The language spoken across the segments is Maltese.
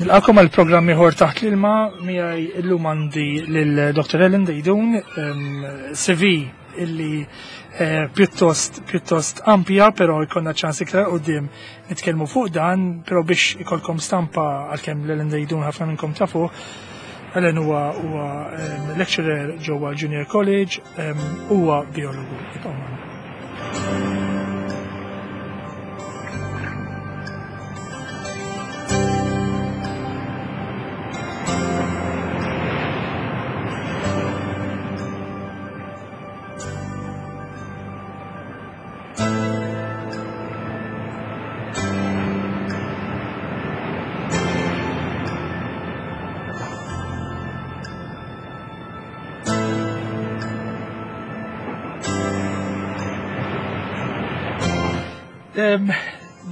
Nilqakom għal programm ieħor taħt l-ilma miegħi illum għandi lil Dr. Ellen Dejdun, CV illi eh, pjuttost pjuttost ampja, però jkollna ċans iktar qudiem nitkellmu fuq dan, però biex ikolkom stampa għalkemm l-Ellen Dejdun ħafna minnkom tafu, Ellen huwa huwa lecturer ġewwa Junior College, huwa biologu. Ibqgħu magħna.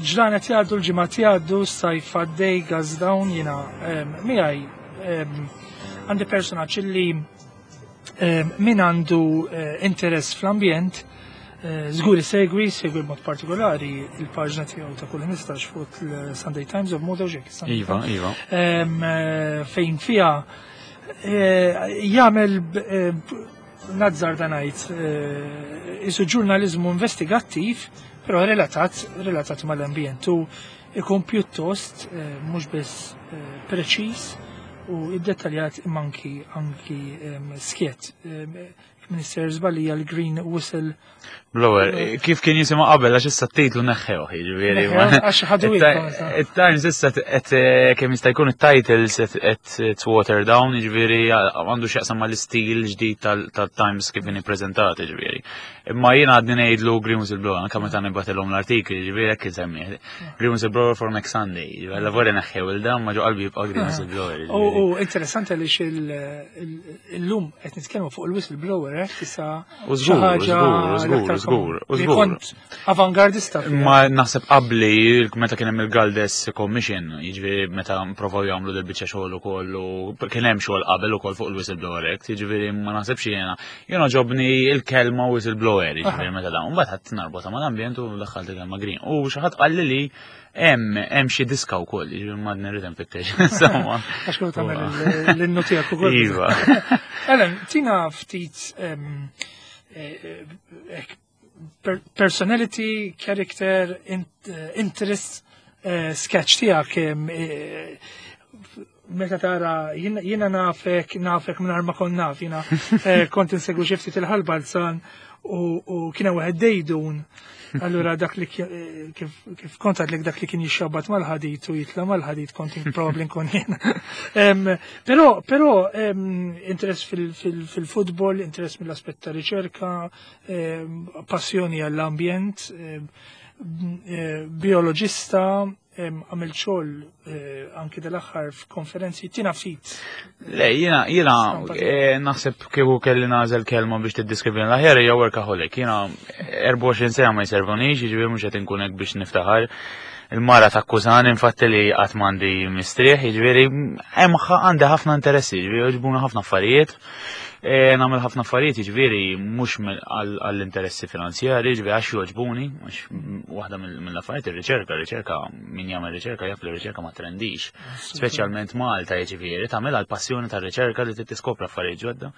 Ġranet jgħaddu, l-ġimgħat jgħaddu, sajf għaddej, gas down, jiena miegħi għandi personaġġ li min għandu eh, interess fl-ambjent, eh, żgur isegwi, segwi b'mod partikolari il-paġna tiegħu ta' kull 15 fuq il-Sunday Times of Malta Iva, iva. Eh, fejn fiha jagħmel nazzar ngħid isu ġurnaliżmu investigattiv, però relatat relatat mal-ambjent u ikun pjuttost mhux biss preċiż u iddettaljat imma anki anki skjet. Minister żbalija l-Green Whistle Blower, kif kien jisimha qabel għax issa t-titlu neħħew, jiġifieri. Għax ħadu It-Times issa qed eh, kemm jista' jkun it-titles qed water down, jiġifieri għandu x'jaqsam mal-istil ġdid tal-Times kif inhi preżentat, jiġifieri. Imma jiena għadni ngħidlu Green Whistleblower, anke meta nibgħatilhom l-artikli, jiġifieri hekk insemmih. Green Whistleblower for next Sunday, jiġifieri alla volja neħħew il-dan ma ġo qalbi jibqa' Green Whistleblower. U interessanti għaliex illum qed nitkellmu fuq il-whistleblower hekk issa U żgur, żgur, żgur, żgur. Kont avangardista. Ma naħseb qabli meta kien hemm il-Galdes Commission, jiġifieri meta provaw jagħmlu del biċċa xogħol ukoll u kien hemm xogħol qabel ukoll fuq il-whistleblower act, jiġifieri ma naħsebx jiena Jien ġobni il-kelma whistleblower, jiġifieri meta dawn, mbagħad ħadd narbota mal-ambjent u daħħalt il-kelma green. U xi ħadd qalli li hemm hemm xi diska wkoll, jiġifieri ma nirrid nfittex. Insomma. Għax kont tagħmel l-innu tiegħek ukoll. Iva. Ellen, tina ftit eh, eh, personality, character, eh, interest, eh, sketch tiegħek eh, meta tara jiena nafek nafek mingħajr ma kont naf jiena kont insegwu xi ftit il-ħalbalzan u kien hemm wieħed dejdun. Allura dak li kif kont għadlek dak li kien jixxabat mal-ħadit u jitla mal-ħadit kont probabbli nkun jiena. Però però interess fil-futbol, interess mill-aspett ta' riċerka, Ehm, passjoni għall-ambjent, ehm, eh, bioloġista, ehm, għamil xogħol eh, anki dal-aħħar f'konferenzi tina ftit. Le, jiena jiena eh, naħseb kieku kelli nagħżel kelma biex tiddiskrivi l-aħjar hija workaholic. Jiena 24 sena ma jservunix, jiġifieri mhux qed inkun hekk biex niftaħar. Il-mara takkużani infatti li qatt m'għandi mistrieħ, jiġifieri hemm għandi ħafna interessi, jiġifieri jogħġbuna ħafna affarijiet. E, nagħmel ħafna affarijiet, jiġifieri mhux għall-interessi finanzjari, jiġifieri għax jogħġbuni, għax waħda mill-affarijiet ir-riċerka, riċerka min jagħmel riċerka jaf li riċerka ma trendix. Speċjalment Malta jiġifieri tagħmel għall-passjoni tar-riċerka li tiskopri affarijiet ġodda.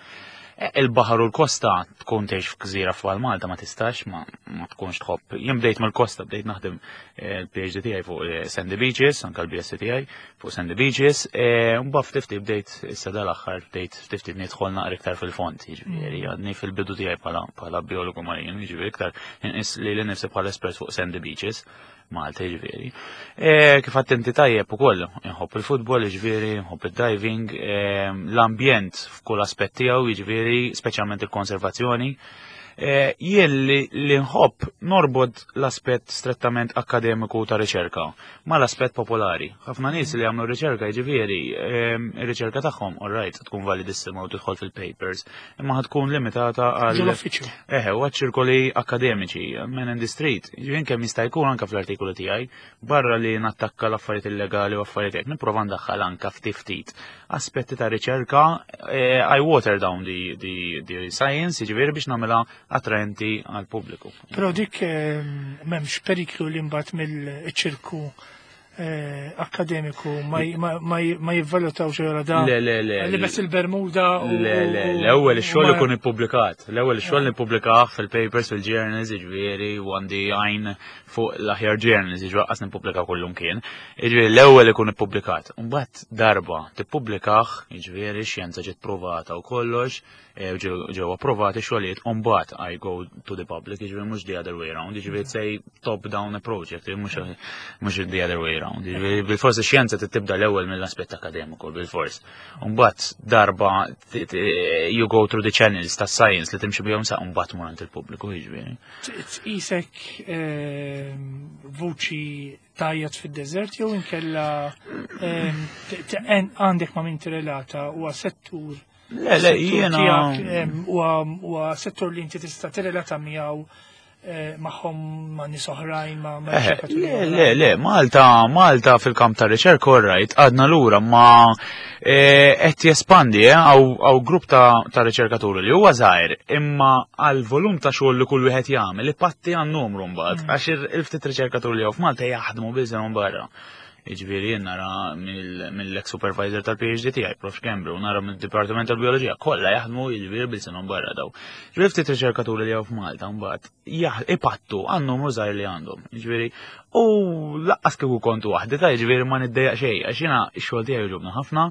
E, il-baħar u l-kosta tkun tgħix f'gżira f'għal Malta ma tistax ma tkunx tħobb. Jien bdejt mill-kosta bdejt naħdem e, l-PhD tiegħi fuq Sandy Beaches, anke l-BSc tiegħi, fuq Sandy Beaches, e, mbagħad ftit ftit bdejt issa dal-aħħar bdejt ftit ftit nidħol naqra iktar fil-fond, jiġifieri mm. għadni fil-bidu tiegħi bħala biologu marin, jiġifieri iktar inqis li l-nifsi bħala espert fuq Sandy Beaches. Malta jiġifieri. E, kif attenti tajjeb ukoll, inħobb il-futbol, jiġifieri, inħobb il-diving, e, l-ambjent f'kull aspett tiegħu, jiġifieri, speċjalment il-konservazzjoni. Eh, jien li nħobb norbod l-aspett strettament akademiku ta' riċerka mal-aspett popolari. Ħafna nies li jagħmlu riċerka jiġifieri, ehm, ir-riċerka tagħhom all right tkun validissima u tidħol fil-papers, imma ħad tkun limitata għal l-uffiċċju. Eħe, u ċirkoli akademiċi, men in the street. Ġifieri kemm jista' jkun anke fl-artikolu tiegħi, barra li nattakka l-affarijiet illegali u affarijiet hekk, nipprova ndaħħal anke ftit ftit aspetti ta' riċerka, eh, I water down the, the, the science, jiġifieri biex nagħmilha attraenti għal pubbliku. Però dik eh, m'hemmx periklu li mbagħad mill-ċirku. Akkademiku ma jivvalutawx jora da. Le, le, le. Li bes il-Bermuda u. Le, le, l-ewwel ix-xogħol ikun ippubblikat. L-ewwel ix-xogħol nippubblikah fil-papers, fil-journals, jiġifieri, u għandi għajn fuq l-aħjar journals, jiġifieri qas nippubblika kullum kien. Jiġifieri l-ewwel ikun ippubblikat. Mbagħad darba tippubblikah, jiġifieri xjenza ġiet provata u kollox, ġew approvati xogħlijiet u mbagħad I go to the public, jiġifieri mhux the other way round, jiġifieri say top down approach, jiġifieri mhux the other way round. Jiġifieri bil-fors ix-xjenza tibda l-ewwel mill-aspett akademiku bil-fors. Mbagħad darba you go through the channels ta' science li timxi bihom sa mbagħad mur għand il-pubbliku jiġifieri. Tqisek vuċi tajjat fid-deżert jew inkella għandek ma' min tirrelata huwa settur Le, le, jiena. Huwa settur li inti tista' tirrelata miegħu magħhom ma' nies oħrajn ma' Le, le, le, Malta, Malta fil-kamp ta' riċerka, all right, għadna lura, ma qed jespandi, hawn grupp ta' riċerkaturi li huwa żgħir, imma għal volum ta' xogħol li kull wieħed jagħmel ipatti għan numru mbagħad, għax il-ftit riċerkaturi li hawn f'Malta jaħdmu biżgħu barra. Jiġifieri jien nara mill-ex supervisor tal-PhD tiegħi, Prof. Kembru, nara mill-Dipartiment tal-Bioloġija, kollha jaħdmu jiġifieri bil-sinhom barra daw. Ġifieri ftit riċerkaturi li hawn f'Malta mbagħad ipattu għan numru żgħir li għandhom. Jiġifieri u laqqas kieku kontu waħdi ta' jiġifieri ma niddejjaq xejn għax jiena x-xogħol tiegħi jogħġobni ħafna.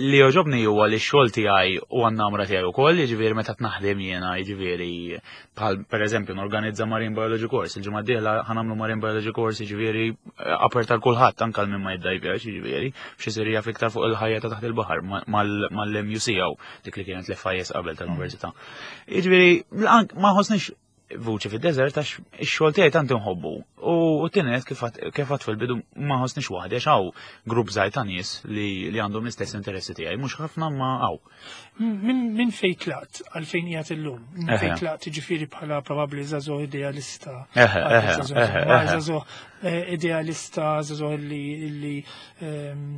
Li jogħġobni huwa li x-xogħol tiegħi u għan-namra tiegħi wkoll, jiġifieri meta naħdem jiena, jiġifieri bħal pereżempju norganizza Marine Biology Course, il-ġimgħa d-dieħla ħa nagħmlu Marine Biology Course, jiġifieri apert għal kulħadd anke għal min ma jiddajvjax, jiġifieri biex isir jaf iktar fuq il-ħajja ta' taħt il-baħar mal-MUC jew dik li kienet l-FIS qabel tal-università. Jiġifieri ma ħossniex vuċi fid-deżert għax ix-xogħol tiegħi tant inħobbu. U tienet kif għad fil-bidu ma ħossniex waħdi għax hawn grupp żgħir ta' nies li għandhom l-istess interessi tiegħi, mhux ħafna ma hawn. Min fejn tlaqt għalfejn qiegħed illum? Min fejn tlaqt jiġifieri bħala probabbli żagħżugħ idealista. Żagħżugħ idealista, żagħżugħ li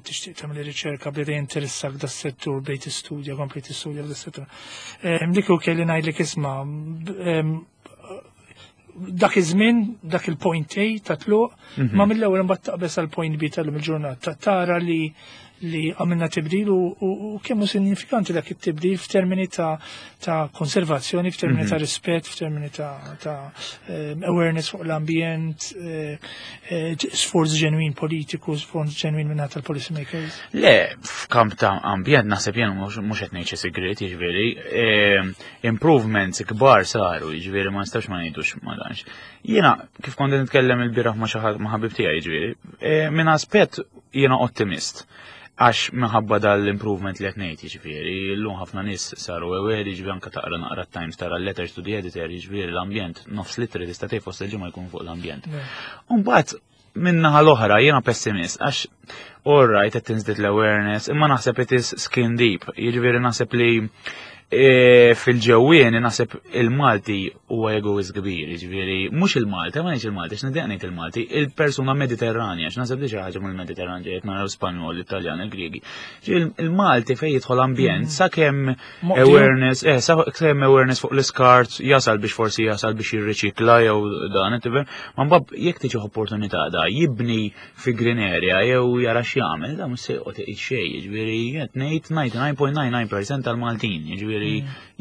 tixtieq tagħmel riċerka bdejt jinteressak das-settur, bdejt tistudja, kompli tistudja f'das-settur. Dik u kelli ngħidlek isma' dak iż-żmien, dak il-point A ta' tluq, ma mill-ewwel imbagħad taqbeż għal point B tal-lum il-ġurnata. Tara li għamilna tibdil u kemm hu sinifikanti dak it-tibdil f'termini ta' konservazzjoni, f'termini ta' rispett, f'termini ta' awareness fuq l-ambjent, sforz ġenwin politiku, sforz ġenwin minn tal-policy makers. Le, f'kamp ta' ambjent naħseb jien mhux qed ngħid xi sigriet, jiġifieri, improvements kbar saru, jiġifieri ma nistax ma ngħidux ma danx. Jiena kif kont nitkellem il-bieraħ ma' xi ħadd ma' ħabib tiegħi, jiġifieri, minn aspett jiena ottimist. Għax minħabba dal-improvement li qed ngħid, jiġifieri, llum ħafna nies saru aware, jiġifieri anke taqra naqra Times tara letters to the editor, jiġifieri l-ambjent nofs litri tista' tgħid fost il-ġimgħa jkun fuq l-ambjent. Mbagħad min-naħa l-oħra jiena pessimist għax all right qed tinżdied l-awareness, imma naħseb it is skin deep, jiġifieri naħseb li fil-ġewwieni naħseb il-Malti huwa egoist kbir, jiġifieri mhux il-Malti, ma ngħidx il-Malti, x'niddeq ngħid il-Malti, il-persuna Mediterranja, x'naħseb li xi ħaġa mill-Mediterran ġejt naraw Spanjol, Italjan, il-Griegi. Il-Malti fejn jidħol ambjent sakemm awareness, sakemm awareness fuq l-iskart jasal biex forsi jasal biex jirriċikla jew dan, tifhem, ma mbagħad jekk tiġi opportunità da jibni fi green area jew jara x'jagħmel, da mhux se joqgħod iqis xejn, jiġifieri qed ngħid 99.99% tal-Maltin, jiġifieri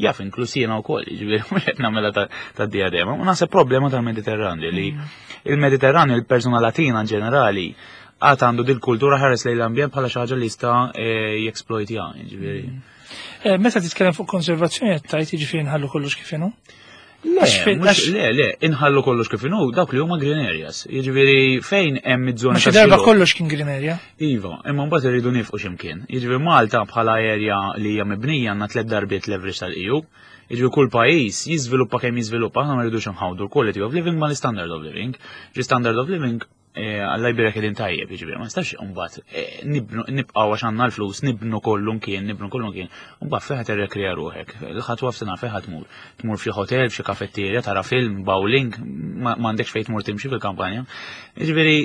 jaf inkluż jiena wkoll, jiġifieri mhux qed nagħmilha ta' diadema. U naħseb problema tal-Mediterran li il-Mediterran il-persuna Latina in ġenerali għad għandu dil-kultura ħares lejn l-ambjent bħala xi ħaġa li jista' jeksploitja, jiġifieri. Meta titkellem fuq konservazzjoni qed tgħid jiġifieri nħallu kollox kif inhu? Le, mhux le, le, inħallu kollox kif inhu dawk li huma green areas. Jiġifieri fejn hemm iż-żoni. Ma xi darba kollox kien green area. Iva, imma mbagħad irridu nifqu x'imkien. Jiġifieri Malta bħala area li hija mibnija għandna tliet darbiet l-average tal-EU. Jiġifieri kull pajjiż jiżviluppa kemm jiżviluppa, aħna ma rridux nħawdu l-quality of living ma l-standard of living. Ġi standard of living Alla jbirek qegħdin tajjeb, jiġifieri ma nistax imbagħad nibqgħu għax għandna l-flus nibnu kollu mkien, nibnu kollu mkien, mbagħad fejn ħa tirrekrea ruħek, il-ħadd waqf sena fejn ħa tmur. Tmur f'xi hotel, f'xi kafetterja, tara film, bowling, m'għandekx fejn tmur timxi fil-kampanja. Jiġifieri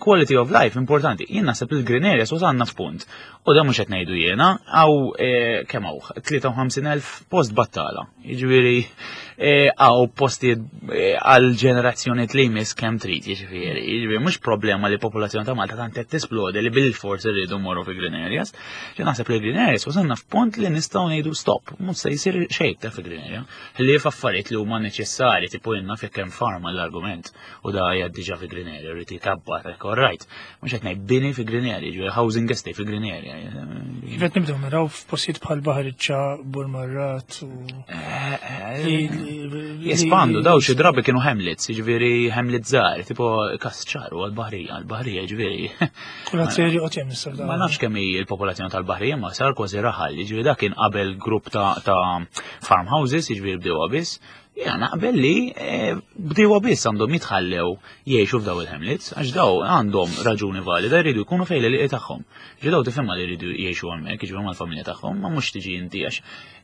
Quality of life importanti. Jien naħseb il-green areas wasalna f'punt. U da mhux qed ngħidu jiena, għaw kemm hawn 53,000 post battala. Jiġifieri għaw postijiet għal ġenerazzjoni li jmiss kemm trid, jiġifieri. Jiġifieri mhux problema li popolazzjoni ta' Malta tant qed tisplodi li bil-fors irridu morru fi green areas. Jien naħseb li green areas wasalna f'punt li nistgħu ngħidu stop, mhux se jsir xejn ta' fi green area. Li f'affarijiet li huma neċessarji tipo jenna fi kemm farma l-argument u da hija diġà fi green area, rrid jikabbar, hekk all right. Mhux qed ngħid bini fi green area, ġifieri housing estate fi green area. Kif qed nibdew naraw f'postijiet bħal Baħriċċa, Burmarrat u Jespandu, daw xi drabi kienu hamlets, jiġifieri hamlet żgħar, tipo kasċar u għall-baħrija, għall-baħrija jiġifieri. Kulħadd se joqgħod hemm issa. Ma nafx kemm hi l-popolazzjoni tal-baħrija, ma sar kważi raħal, jiġifieri dak kien qabel grupp ta' farmhouses, jiġifieri bdew biss. Jiena naqbel li eh, bdiewa biss għandhom jitħallew jgħixu f'daw il-hamlets, għax daw għandhom raġuni valida jridu jkunu fejn li tagħhom. Ġi daw tifhimha li jridu jgħixu hemmhekk, jiġu mal-familja tagħhom, ma mhux tiġi inti għax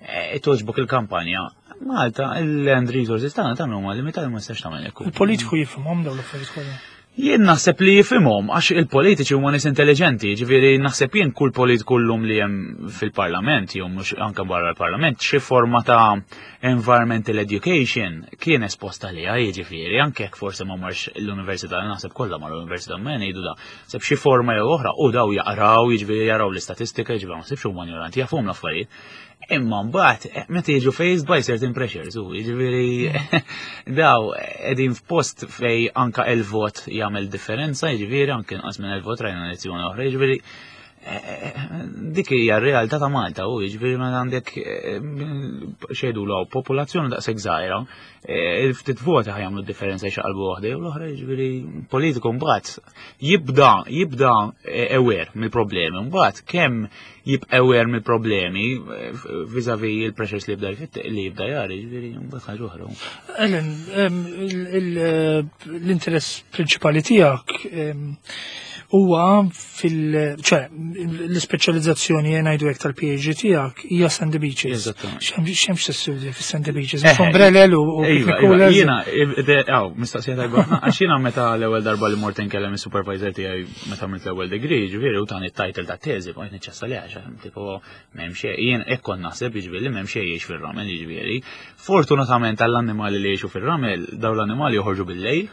eh, toġbok il-kampanja. Malta, il-land resources tagħna tagħmlu ma limitati ma nistax tagħmel hekk. Il-politiku jifhimhom dawn l-affarijiet kollha. Jien naħseb li jifhimhom għax il-politiċi huma nies intelligenti, ġifieri naħseb jien kull politiku llum li hemm fil-parlament jew mhux anke barra l-parlament xi forma ta' environmental education kien esposta liha jiġifieri anke jekk forsi ma marx l-università naħseb kollha mar l-università ma ngħidu da. Seb xi forma jew oħra u daw jaqraw jiġifieri jaraw l-istatistika jiġifieri ma nsibx huma ignoranti jafhom l-affarijiet. Imma mbagħad eh, meta jiġu faced by certain pressures, u jiġifieri daw qegħdin f'post fej anka il-vot jagħmel differenza, jiġifieri anke inqas minn il-vot rajna elezzjoni oħra, jiġifieri eh, eh, dik hija r-realtà ta' Malta u jiġifieri meta għandek xejdu l popolazzjoni daqshekk żgħira, il-ftit voti ħajamlu differenza jxaqalbu waħda jew l-oħra, jiġifieri politiku mbagħad jibda jibda aware mill-problemi, mbagħad kemm jibqa' aware mill-problemi vis-a-vis il-pressures li jibda li jibda jara, jiġifieri mbagħad ħaġa oħra. Ellen, l-interess prinċipali tiegħek huwa fil ċe l-ispeċjalizzazzjoni ngħidu hekk tal-PhD tiegħek hija Sandy Beaches. X'hemm tistudja fis-Sandy Beaches? Eh, Ombrellel u iva, iva, Jiena, aw, mistoqsija tajba għax jiena meta l-ewwel darba li mort inkellem is-supervisor tiegħi meta għamilt l-ewwel degree, ġifieri u tani t-title ta' teżi, bqajt niċċessa li għax tipo m'hemm xejn, jien hekk kont naħseb jiġifieri li m'hemm xejn jgħix fir-ramel, jiġifieri. Fortunatament għall-annimali li jgħixu fir-ramel, dawn l-annimali joħorġu bil-lejl,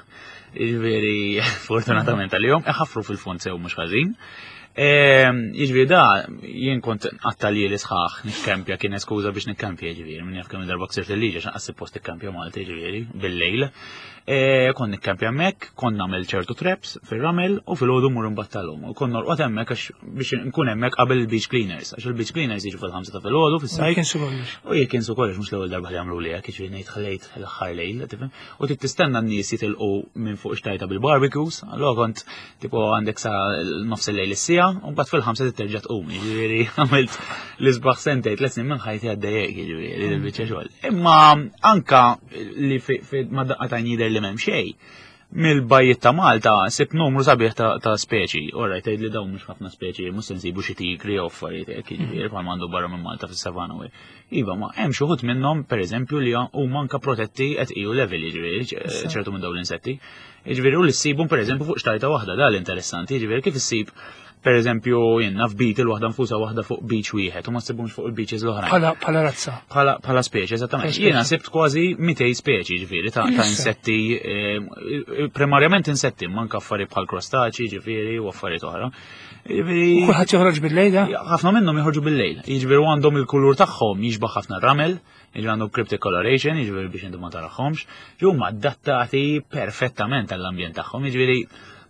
jiġifieri fortunatament għalihom iħaffru fil-fond sew mhux ħażin. Ehm, jiġifieri da jien kont qatta li sħaħ nikkempja kien eskuża biex nikkempja jiġifieri minn jaf kemm darba ksirt il-liġi għax naqas post ikkampja Malta jiġifieri bil-lejl. E, kont nikkampja hemmhekk, kont nagħmel ċertu traps fir-ramel u filgħodu mmur imbattalhom. U kont norqod hemmhekk għax biex nkun hemmhekk qabel il-beach cleaners, għax il-beach cleaners jiġu fil-5 ta' filgħodu fis-sajf. U jekk insu kollox mhux l-ewwel darba li jagħmlu li hekk, jiġifieri ngħid ħlejt l-aħħar lejl, tifhem? U trid tistenna n-nies jitilqu minn fuq xtajta bil-barbecues, allura kont tipo għandek sa nofs il-lejl is-sija, u mbagħad fil-5 trid terġa' tqum, jiġifieri għamilt l-isbaħ sentejn 3 snin minn ħajti għaddejjek, jiġifieri il-biċċa xogħol. Imma anka li ma daqqa ta' jidher li m'hemm xejn. Mill-bajjiet ta' Malta sib numru sabiħ ta' speċi. Ora tgħid li dawn mhux ħafna speċi, mhux se nsibu xi tigri jew affarijiet hekk, jiġifieri bħal m'għandu barra minn Malta fis-savana u Iva, ma hemm xi wħud minnhom pereżempju li huma anka protetti at EU level, jiġifieri ċertu minn dawn l-insetti. Jiġifieri u li ssibhom pereżempju fuq xtajta waħda, da l-interessanti, jiġifieri kif issib per eżempju, jenna f'beetle waħda nfusa waħda fuq beach wieħed u ma ssibhomx fuq il-beaches l-oħrajn. Bħala razza. Bħala speċi, eżattament. Jiena sibt kważi 200 speċi ġifieri ta' insetti, eh, primarjament insetti, manka affarijiet bħal krostaċi, ġifieri, u affarijiet oħra. Jiġifieri Kulħadd joħroġ bil-lejl, da? Ħafna minnhom joħorġu bil-lejl. Jiġifieri għandhom il-kulur tagħhom jixbaħ ħafna ramel, jiġifieri għandhom cryptic coloration, jiġifieri biex inti ma taraħhomx, huma adattati perfettament għall-ambjent tagħhom, jiġifieri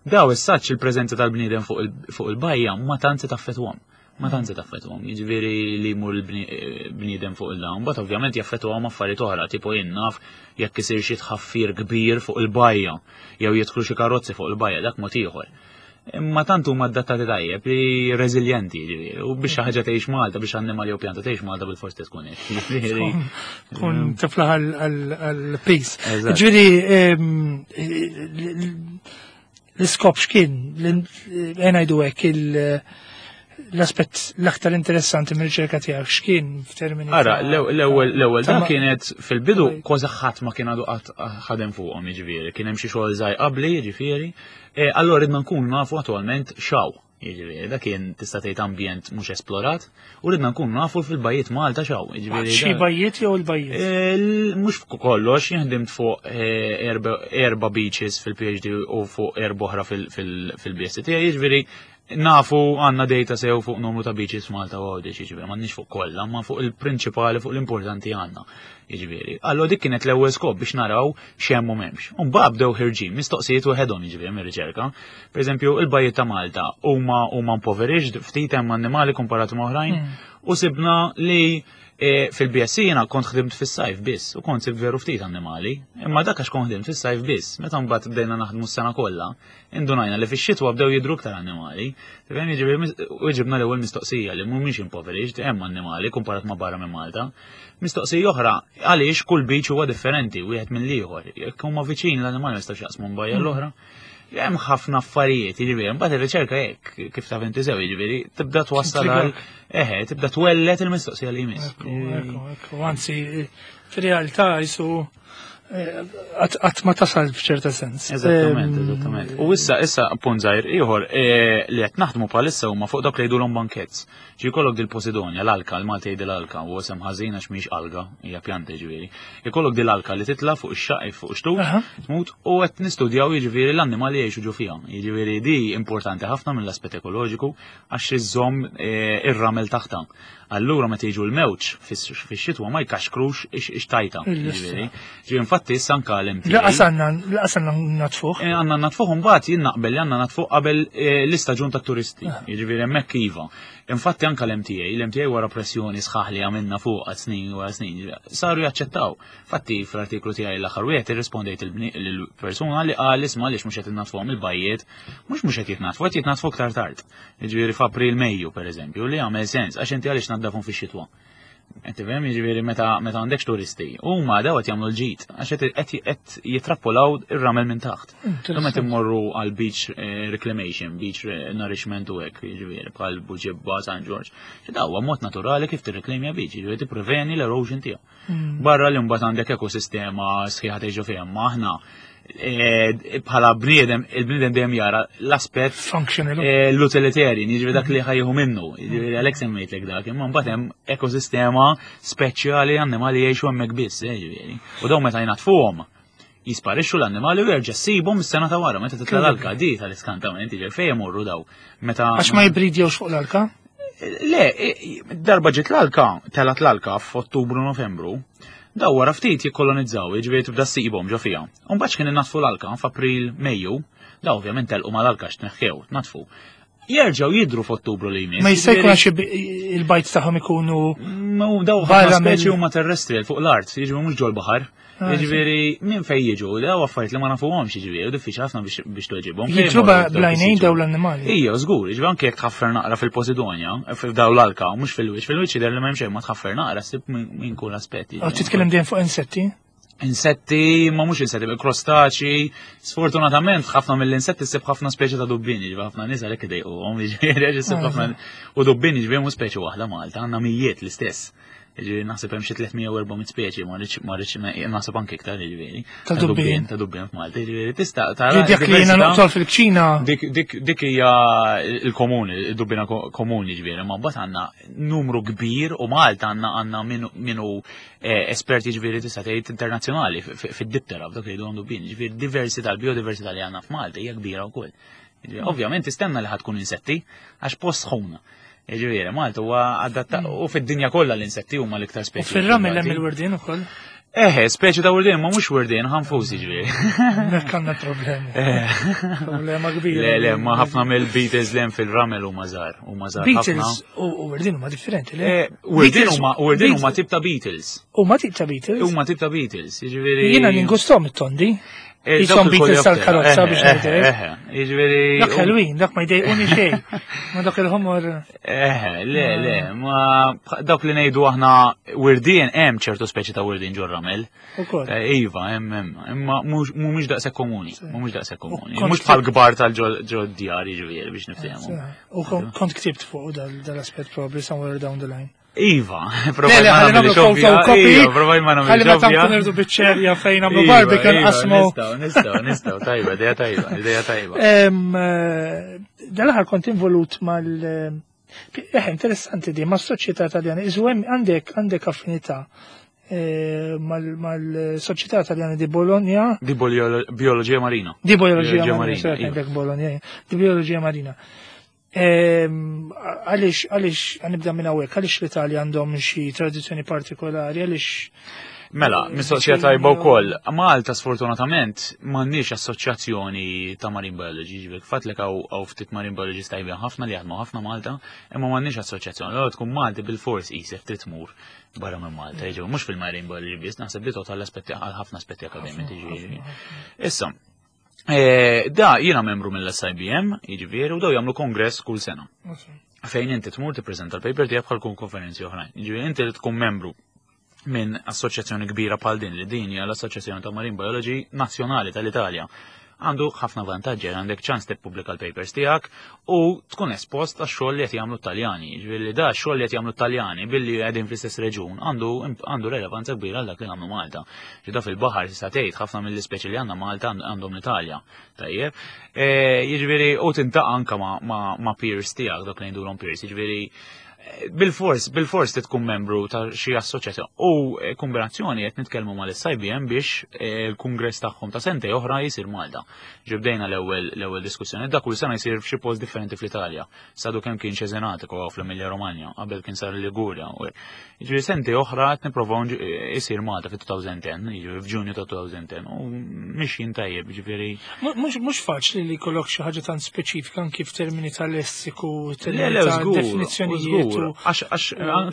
daw is-saċ il-preżenza tal-bniedem fuq il-bajja ma tant se taffetwhom. Ma tant se taffetwhom, jiġifieri li jmur il-bniedem fuq il-dawn, but ovvjament jaffetwhom affarijiet oħra, tipo jien naf jekk isir xi tħaffir kbir fuq il-bajja, jew jidħlu xi karozzi fuq il-bajja, dak mod ieħor. Imma tant huma adattati tajjeb li reżiljenti, ġifieri, u biex xi ħaġa tgħix Malta, biex annimali jew pjanta tgħix Malta bil-fors tkun hekk. Ġifieri, Tkun tiflaħ għal-peace. Eżatt. Ġifieri, l-iskop x'kien, ngħidu hekk, L-aspett l-aktar interessanti mir-riċerka tiegħek x'kien f'termini Ara, l-ewwel l-ewwel dan kienet fil-bidu kważi ħadd ma kien għadu qatt ħadem fuqhom, jiġifieri, kien hemm xi xogħol żgħir qabli, jiġifieri. E, allura ridna nkunu nafu attwalment xaw. Jiġifieri, dak kien tista' tgħid ambjent mhux esplorat u ridna nkunu nafu fil-bajjiet Malta xaw. Jiġifieri xi bajjiet jew il-bajjiet? E, mhux kollox, jien ħdimt fuq e, erba' beaches fil-PhD u fuq erba' oħra fil-BSc tiegħi, jiġifieri Nafu għandna data sew fuq numru ta' beaches f'Malta u Għawdex, jiġifieri m'għandniex fuq kollha, ma fuq il-prinċipali fuq l-importanti għandna. Jiġifieri. Allura dik kienet l-ewwel skop biex naraw x'hemm u m'hemmx. U mbagħad bdew ħirġin mistoqsijiet waħedhom jiġifieri mir-riċerka. Pereżempju, il-bajjiet ta' Malta huma huma impoverished, ftit hemm annimali komparati ma' oħrajn, u sibna li E, Fil-BSc jiena kont ħdimt fis-sajf biss u kont sibt veru ftit annimali, imma dak għax kont ħdimt fis-sajf biss, meta mbagħad bdejna naħdmu s-sena kollha, indunajna li fix-xitwa bdew jidhru iktar annimali. Tifhem jiġifieri u ġibna l-ewwel mistoqsija li mhumiex impoverished, hemm annimali kumparat ma' barra minn Malta. Mistoqsija oħra, għaliex kull beach huwa differenti wieħed mill-ieħor. Jekk huma viċin l-annimali ma jistgħux jaqsmu minn bajja l-oħra. Hemm ħafna affarijiet, jiġifieri, mbagħad ir-riċerka hekk kif taf inti sew, jiġifieri, tibda twassal għal eħe, tibda twellet il-mistoqsija li jmiss. Ekku, ekku, ekku, anzi, fir-realtà jisu qatt ma tasal f'ċerta sens. Eżattament, eżattament. U issa, issa, punt żgħir ieħor eh, li qed naħdmu bħalissa huma fuq dawk li jgħidulhom bankets. Ġi jkollok dil-Posidonia, l-alka, l-Malti jgħid l-alka, u isem ħażin għax mhix alga, hija pjanta jiġifieri. Ikollok dil-alka li titla' fuq ix-xaqq fuq ix-xtut, tmut u qed nistudjaw jiġifieri l-annimali jgħixu ġo fiha. Jiġifieri di importanti ħafna mill-aspett ekoloġiku għax iżżomm eh, ir-ramel taħtha. Allura meta jiġu l-mewġ fix-xitwa ma jkaxkrux ix-tajta. Jiġifieri. Ġi infatti issa anka l-MTA. Laqas għandna laqas għandna natfuh. Eh, għandna natfuh imbagħad jien naqbel li għandna natfuh qabel eh, l-istaġun tat-turisti. Ah. Jiġifieri hemmhekk iva. Infatti anka l-MTA, l-MTA wara pressjoni sħaħ li għamilna fuq għal snin wara snin, saru jaċċettaw. Fatti fl-artiklu tiegħi l-aħħar wieħed irrispondejt il-persuna li qal isma' għaliex mhux qed innatfuhom il-bajjiet, mhux mhux qed jitnatfu, qed jitnatfu aktar tard. Jiġifieri f'April Mejju pereżempju, li jagħmel sens għax inti għaliex naddafhom fix-xitwa. Qed tifhem jiġifieri meta meta għandekx turisti, huma daw qed jagħmlu l-ġid għax qed jitrappolaw ir-ramel minn taħt. Imma meta immorru għal beach eh, reclamation, beach nourishment u hekk, jiġifieri bħal Buġibba, San Ġorġ. Daw huwa mod naturali kif tirreklamja beach, jiġifieri tippreveni l-erosion tiegħu. Barra li mbagħad għandek ekosistema sħiħa tgħixu fiha, ma aħna eh, bħala bniedem, il-bniedem dejjem jara l-aspett functional eh, l-utilitarian, jiġifieri dak li ħajju minnu, jiġifieri għalhekk semmejtlek dak, imma mbagħad hemm ekosistema speċjali annimali jgħixu hemmhekk biss, eh, jiġifieri. U dawn meta jnatfuhom jisparixxu l-annimali u jerġa' ssibhom is-sena ta' wara meta titla' l-alka di tal-iskantament, jiġifieri fejn imorru daw. Meta Għax ma jibridjewx fuq l-alka? Le, darba ġiet l-alka, telat l-alka f'Ottubru Novembru, daw wara ftit jikkolonizzaw, jiġifieri tibda ssibhom ġo fiha. U mbagħad x'kien innatfu l-alka f'April, Mejju, daw ovvjament telqu mal-alka x'tneħħew, tnaddfu. Jerġgħu jidhru f'Ottubru li jmiss. Ma jista' jkun għax il-bajt tagħhom ikunu. Daw ħafna speċi huma terrestrial fuq l-art, jiġu mhux ġol-baħar. Ah, jiġifieri minn fejn jiġu, daw affarijiet li ma nafuhomx jiġifieri, diffiċli ħafna biex tweġibhom. Jidhru blajnejn daw l-annimali. Ija, żgur, jiġifieri anke jekk tħaffer naqra fil-Posidonia, f'daw l-alka, mhux fil-wiċċ, fil-wiċċ jidher li m'hemm xejn ma tħaffer naqra ssib minn kull aspett. Titkellem dejjem fuq insetti? Insetti, ma mhux insetti, krostaċi, sfortunatament ħafna mill-insetti ssib ħafna speċi ta' dubbini, ġifieri ħafna nies għalhekk idejquhom, jiġifieri ssib ħafna u dubbini ġifieri mhux speċi waħda Malta, għandna mijiet l-istess. Ġifieri naħseb hemm xi 300 u 400 speċi, ma rridx ma rridx naħseb anke iktar jiġifieri. Ta' dubbien. Ta' dubbien f'Malta, jiġifieri tista' tara. Dik li jiena noqtol fil-kċina. Dik dik dik hija l-komuni, id-dubbina komuni ġifieri, ma mbagħad għandna numru kbir u Malta għandna għandna minu eh, esperti ġifieri tista' tgħid internazzjonali fid-diptera f'dak li jgħidu dubbien, ġifieri diversità, l-biodiversità li għandna f'Malta hija kbira wkoll. Ovvjament tistenna li ħatkun insetti għax post sħuna. Ġifieri, Malta huwa adatta u fid-dinja kollha l-insetti huma l-iktar speċi. U fir-ramel hemm il-wirdien ukoll. Eħe, speċi ta' wirdien, ma mhux wirdien, ħanfus jiġifieri. Hekk għandna problemi. Eh. Problema kbira. Le, le, ma ħafna mill-Beatles li hemm fil-ramel huma żgħar, huma żgħar. Beatles u wirdien huma differenti, le? Eh, wirdien huma wirdien huma tip ta' Beatles. Huma tip ta' Beatles. Huma tip ta' Beatles, jiġifieri. Jiena ningustom it-tondi. Jisom Beatles tal-karozza biex ngħidlek. Jiġifieri. Dak ħelwin, dak ma jdejquni xejn. Ma dak il-ħomor. Eħe, le, le, ma dawk li ngħidu aħna wirdien hemm ċertu speċi ta' wirdien ġol ramel. Eh, iva, hemm hemm, imma mhumiex daqshekk komuni, mhumiex daqshekk komuni. Mhux bħal kbar tal-ġol djar jiġifieri biex niftehmu. U kont ktibt fuq dal-aspett probably somewhere down the line. Iva, provaj ma nagħmel photocopy. Iva, provaj ma nagħmel. Ħalli meta nkun irdu biċċerja fejn nagħmlu iva, barbecue iva, nqasmu. Nistgħu, nistgħu, nistgħu, tajba, idea tajba, idea tajba. Eh, dal-aħħar kont involut mal eh, interessanti di, ma' soċjetà Taljana, iżu hemm għandek għandek affinità eh, mal-Soċjetà Taljana di Bologna. Di Bioloġija Marina. Di Bioloġija Marina, iva. għandek Bologna, di Bioloġija Marina. Għaliex, għaliex, għanibda minn hawnhekk, għaliex l-Italja għandhom xi tradizzjoni partikolari, għaliex Mela, mistoqsija tajba wkoll. Malta sfortunatament m'għandniex assoċjazzjoni ta' marine biology, ġifieri fatlek hawn ftit marine biologists tajbin ħafna li jaħdmu ħafna Malta, imma m'għandniex assoċjazzjoni. Allura tkun Malti bil-fors qisek trid tmur barra minn Malta, jiġifieri mhux fil-marine biology biss, naħseb li total aspetti għal ħafna aspetti akademiċi ġifieri. Issa, Eh, da jiena membru mill-SIBM, jiġifieri, u daw jagħmlu kongress kull sena. Fejn inti tmur tippreżenta l-paper tiegħek bħal kun konferenzi oħrajn. Jiġifieri inti li tkun membru minn assoċjazzjoni kbira bħal din li din hija l-Assoċjazzjoni ta' Marine Biology Nazzjonali tal-Italja għandu ħafna vantaġġi għandek ċans tippubblika l-papers tiegħek u tkun espost għax xogħol li qed jagħmlu t-Taljani. Jiġifieri li da xogħol li qed jagħmlu t-Taljani billi qegħdin fl-istess reġun għandu għandu relevanza kbira għal dak li nagħmlu Malta. Ġida fil-baħar tista' tgħid ħafna mill-ispeċi li għandna Malta għandhom l-Italja. Tajjeb. E, jiġifieri u tintaqa' anke ma' peers tiegħek dak li ngħidulhom peers, jiġifieri bil-fors, bil-fors tkun membru ta' xi assoċjazzjoni. U eh, kombinazzjoni qed nitkellmu mal-SIBM biex eh, il-kungress tagħhom ta' sentej oħra jsir Malta. Ġibdejna l-ewwel l-ewwel diskussjoni. Da kull sena jsir f'xi post differenti fl-Italja. Sadu kemm kien Cesenatico fl-Emilia Romagna, qabel kien sar Liguria. Jiġifieri sentej oħra qed nipprovaw isir Malta fit-2010, jiġifieri f'Ġunju ta' 2010 u mixjin tajjeb, jiġifieri. Mhux faċli li jkollok xi ħaġa tant speċifika anki f'termini ta' lessiku, termini ta' definizzjonijiet u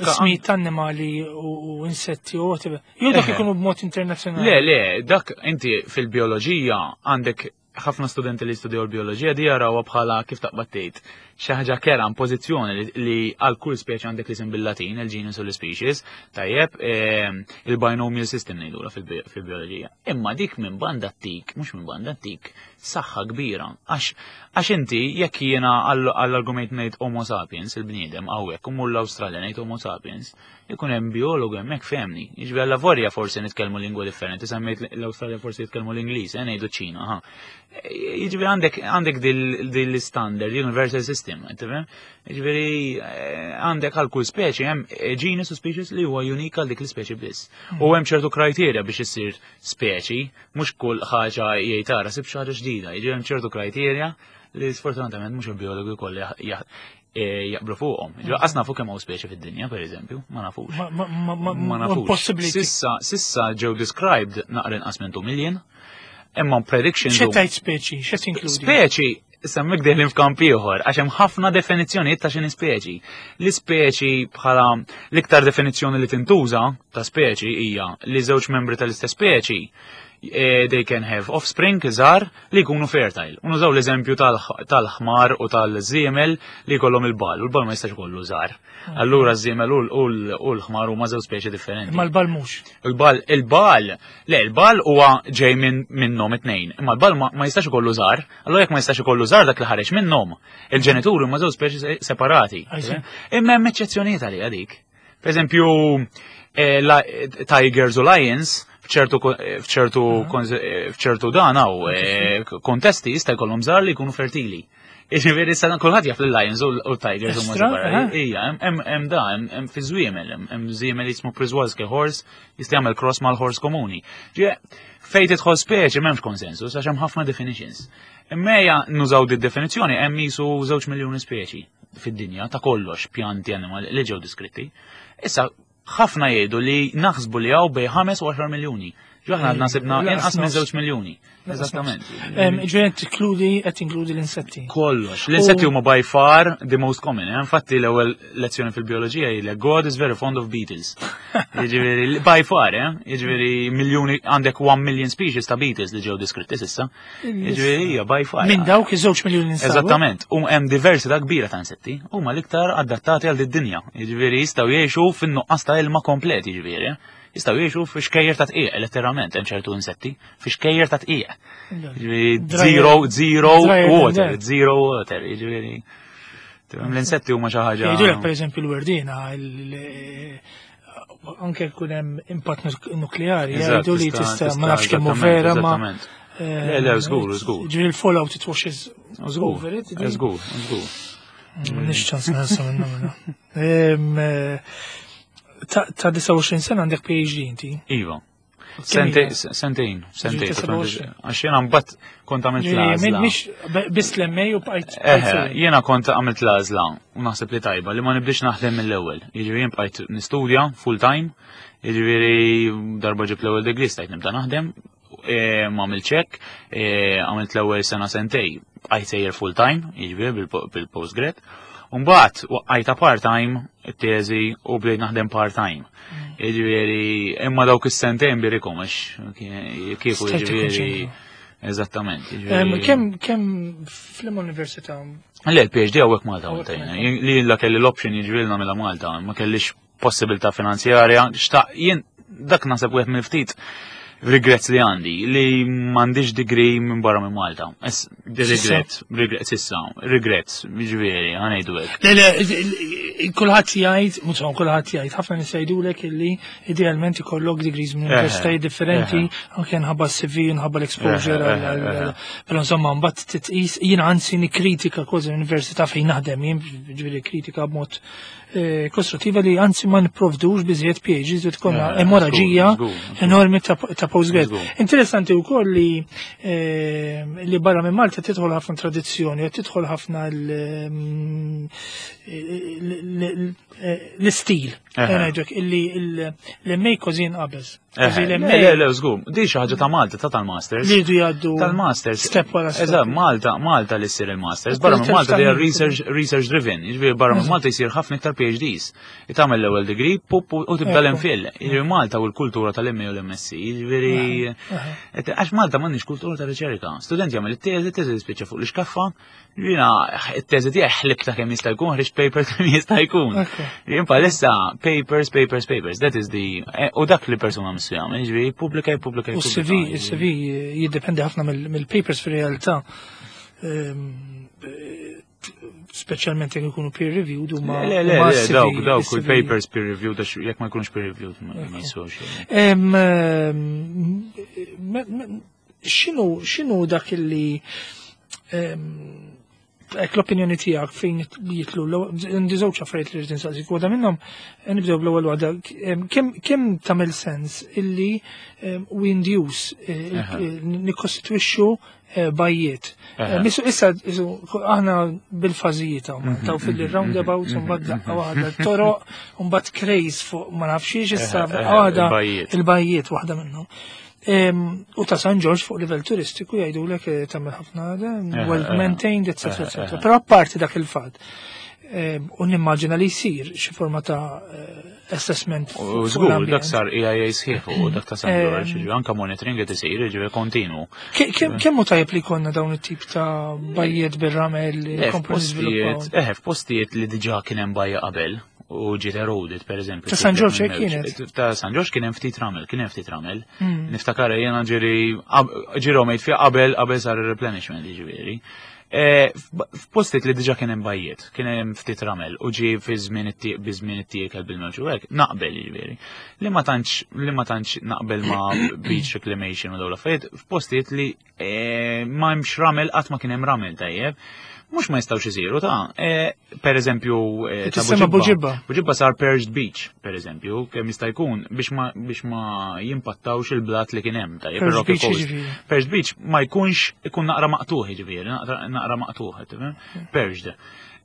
ismijiet ta' annimali u insetti u whatever. Jew dak ikunu b'mod internazzjonali. Le, le, dak inti fil-bioloġija għandek ħafna studenti li jistudjaw l-bioloġija di jarawha bħala kif taqbad tgħid xi ħaġa kera pożizzjoni li għal kull speċi għandek l-isem bil-Latin, il-genus u l-species, tajjeb, ehm, il-binomial system ngħidulha fil-bioloġija. Imma dik minn banda tik, mhux minn banda tik, saħħa kbira. Għax inti jekk jiena għall-argument ngħid Homo sapiens, il-bniedem hawnhekk u mur l-Awstralja ngħid Homo sapiens, ikun hemm biologu hemmhekk fehmni. Jiġifieri alla vorja forsi nitkellmu lingwa differenti, semmejt l-Awstralja forsi jitkellmu l-Ingliż, eh, ngħidu ċina, ha. Jiġifieri għandek għandek dil standard universal system, tifhem? Jiġifieri eh, għandek għal kull speċi hemm eh, genus u species li huwa unika għal dik l-ispeċi biss. U hemm ċertu kriterja biex issir speċi, mhux kull ħaġa jgħid tara sib xi ħaġa ġdida, jiġifieri hemm ċertu kriterja li sfortunatament mhux il-biologi kollha E, jaqblu fuqhom. Qas nafu kemm hawn speċi fid-dinja, pereżempju, ma nafux. Ma nafux. Possibbli. Sissa, sissa ġew described naqra inqas minn 2 million, imma predictions. X'qed tgħid speċi? X'qed inkludi? Speċi Semmek deħlin f'kamp ieħor, għax hemm ħafna definizzjonijiet ta' x'inhi speċi. L-ispeċi bħala l-iktar definizzjoni li tintuża ta' speċi hija li żewġ membri tal-istess speċi eh, they can have offspring żgħar li jkunu fertile. U nużaw l-eżempju tal-ħmar u tal-żiemel li jkollhom il-bal, u l-bal ma jistax ikollu żgħar. Allura ż-żiemel u l-ħmar huma żewġ speċi differenti. Ma l-bal mhux. Il-bal, il-bal, le, il-bal huwa ġej minnhom it-tnejn, imma l-bal ma jistax ikollu żgħar. Allura jekk ma jistax ikollu żgħar dak li ħareġ minnhom, il-ġenituri huma żewġ speċi separati. Imma hemm eċċezzjonijiet għalija dik. Per eżempju, eh, Tigers u Lions f'ċertu f'ċertu mhm. f'ċertu dan hawn eh, kontesti jista' jkollhom żgħar li jkunu fertili. Jiġifieri sa kulħadd jaf lill-Lions u l-Tigers huma separati. Ija, hemm da, hemm fi żwiemel, hemm żwiemel jismu Przewalski horse, jista' jagħmel cross mal-horse komuni. Fejn tidħol speċi m'hemmx konsensus għax hemm ħafna definitions. Imma ejja nużaw di definizzjoni hemm jisu żewġ miljuni speċi fid-dinja ta' kollox pjanti animali li ġew diskritti. Issa ħafna jgħidu li naħsbu li hawn bej 5 u 10 miljuni. Ġaħna għadna sibna inqas minn 2 miljuni. Eżattament. Ġifieri tinkludi qed tinkludi l-insetti. Kollox. L-insetti huma by far the most common. Eh? Infatti l-ewwel lezzjoni fil-bioloġija hi God is very fond of beetles. Jiġifieri by far, eh? Jiġifieri miljuni għandek 1 million species ta' beetles li ġew diskritti sissa. Jiġifieri hija by far. Minn dawk iż-żewġ miljuni insabu. Eżattament. U hemm diversità kbira ta' insetti. Huma l-iktar adattati għal din-dinja. Jiġifieri jistgħu jgħixu fin-nuqqas ta' ilma komplet, jiġifieri. Jistgħu jgħixu fi xkejjer ta' tqiegħ, letteralment hemm ċertu insetti, fi xkejjer ta' tqiegħ. Zero, zero water, zero water, jiġifieri. L-insetti huma xi ħaġa. Jgħidulek pereżempju l-werdina, anke jkun hemm impatt nukleari, jgħidu li tista' ma nafx kemm vera ma. Le, le, żgur, żgur. Ġifieri l-fallout it washes over it. Żgur, żgur. Nix ċans nħassa minna. Ta' 29 sena għandek PhD inti? Iva. Sentejn, sentejn. Għax jena mbagħad kont għamilt l-għażla. Mhix biss l-MA u bqajt. Jiena kont għamilt l-għażla u naħseb li tajba li ma nibdiex naħdem mill-ewwel. Jiġifieri jien bqajt nistudja full time, jiġifieri darba ġib l-ewwel degree stajt nibda naħdem, e, ma għamilt ċek, e, għamilt l-ewwel sena sentej, bqajt sejjer full time, jiġifieri bil-postgrad. Umbagħad waqqajta part-time it-teżi u bdejt naħdem part-time. Jiġifieri imma dawk is-sentejn birikom għax kieku jiġifieri Eżattament. Kemm kemm fl-università? Le, l-PhD hawnhekk Malta għamiltajna. Li la kelli l-option jiġifieri nagħmilha Malta, ma kellix possibilità finanzjarja, xtaq jien dak naħseb wieħed mill-ftit regrets li għandi li m'għandix degree minn barra minn Malta. Regret, regret sissa, regrets, jiġifieri, ħanejdu hekk. Le, le, kulħadd jgħid, mhux kulħadd jgħid, ħafna nies jgħidulek illi idealment ikollok degrees minn universitajiet differenti, anke nħabba CV, nħabba l-exposure, però insomma mbagħad titqis, jiena anzi nikkritika kważi l-università fejn naħdem, jien ġifieri kritika b'mod Eh, kostruttiva li anzi ma nipprovdux biżjed PhDs li tkollna eh, emoraġija enormi ta' postgrad. Interessanti wkoll li eh, li barra minn Malta tidħol ħafna tradizzjoni, tidħol ħafna mm, l-istil. Illi l-MA kważi jinqabeż. Eh, le, le, żgur, di xi ħaġa ta' Malta, ta' tal-Masters. Li jdu jgħaddu. Tal-Masters. Step wara step. Eżatt, Malta, Malta li ssir il-Masters. Barra minn Malta li research, research driven. Jiġifieri barra minn Malta jsir ħafna iktar PhDs. Tagħmel l-ewwel degree, pup, u tibda l-MPhil. Jiġifieri Malta u l-kultura tal-MA u l-MSc. Jiġifieri għax Malta m'għandniex kultura ta' riċerka. Student jagħmel it-teżi, teżi tispiċċa fuq l-iskaffa, Jina, it-teżi tiegħi ħlibta kemm jista' jkun, ħriġt paper kemm jista' jkun. Jien palissa papers, papers, papers, that is the eh, u dak li persuna missu jagħmel, jiġifieri pubblika, pubblika. U CV, il-CV jiddependi ħafna mill-papers fir-realtà. Ehm, eh, speċjalment jekk ikunu peer reviewed huma. Le, le, le, dawk, dawk, il-papers peer reviewed, għax jekk ma jkunux peer reviewed ma jiswux. Ehm, ehm, x'inhu x'inhu dak illi ek l-opinjoni tiegħek fejn jitlu għandi żewġ affarijiet li rrid insaqsik. Waħda minnhom eh, nibdew bl-ewwel waħda kemm tagħmel sens illi we induce eh, nikkostitwixxu eh, bajjiet. Misu issa aħna bil-fażijiet hawn mhm, taw fil-roundabouts mhm, mbagħad mhm, daqqa waħda toroq mbagħad craze fuq ma nafx issa waħda il-bajjiet waħda minnhom. U ta' San Ġorġ fuq livell turistiku jgħidulek eh, tagħmel ħafna eh, well maintained, etc. etc. Però apparti dak il-fatt, u nimmaġina li jsir xi forma ta' eh, assessment. U żgur dak sar EIA sħiħ u dak ta' San Ġorġ, anka monitoring qed isir, ġifieri kontinu. Kemm hu tajjeb li jkollna dawn it-tip ta' bajjiet bir-ramel li komplu niżviluppaw? Eh, f'postijiet li diġà kien hemm bajja qabel, u ġiet eroded, per eżempju. Ta' San Ġorġ hekk kienet. Ta' San Ġorġ kien hemm ftit ramel, kien hemm ftit ramel. Hmm. Niftakar jiena ġiri ġiri mejt fiha qabel qabel sar ir-replenishment jiġifieri. E, f'postiet li diġà kien hemm bajjiet, kien hemm ftit ramel u ġie fi żmien it-tieq bi żmien it-tiekel bil-mewġ u hekk, naqbel jiġifieri. Li ma tantx li ma tantx naqbel ma' beach reclamation u dawn l-affarijiet, f'postijiet li E, ma hemmx ramel qatt ma kien hemm ramel tajjeb. Mhux ma jistgħux isiru ta' e, per eżempju e, ta' Buġibba. Buġibba sar Perched Beach, per eżempju, kemm jista' jkun biex ma biex ma jimpattawx il-blat li kien hemm tajjeb. Perched Beach Perched Beach ma jkunx ikun naqra maqtuħ jiġifieri, naqra maqtuħ, perched.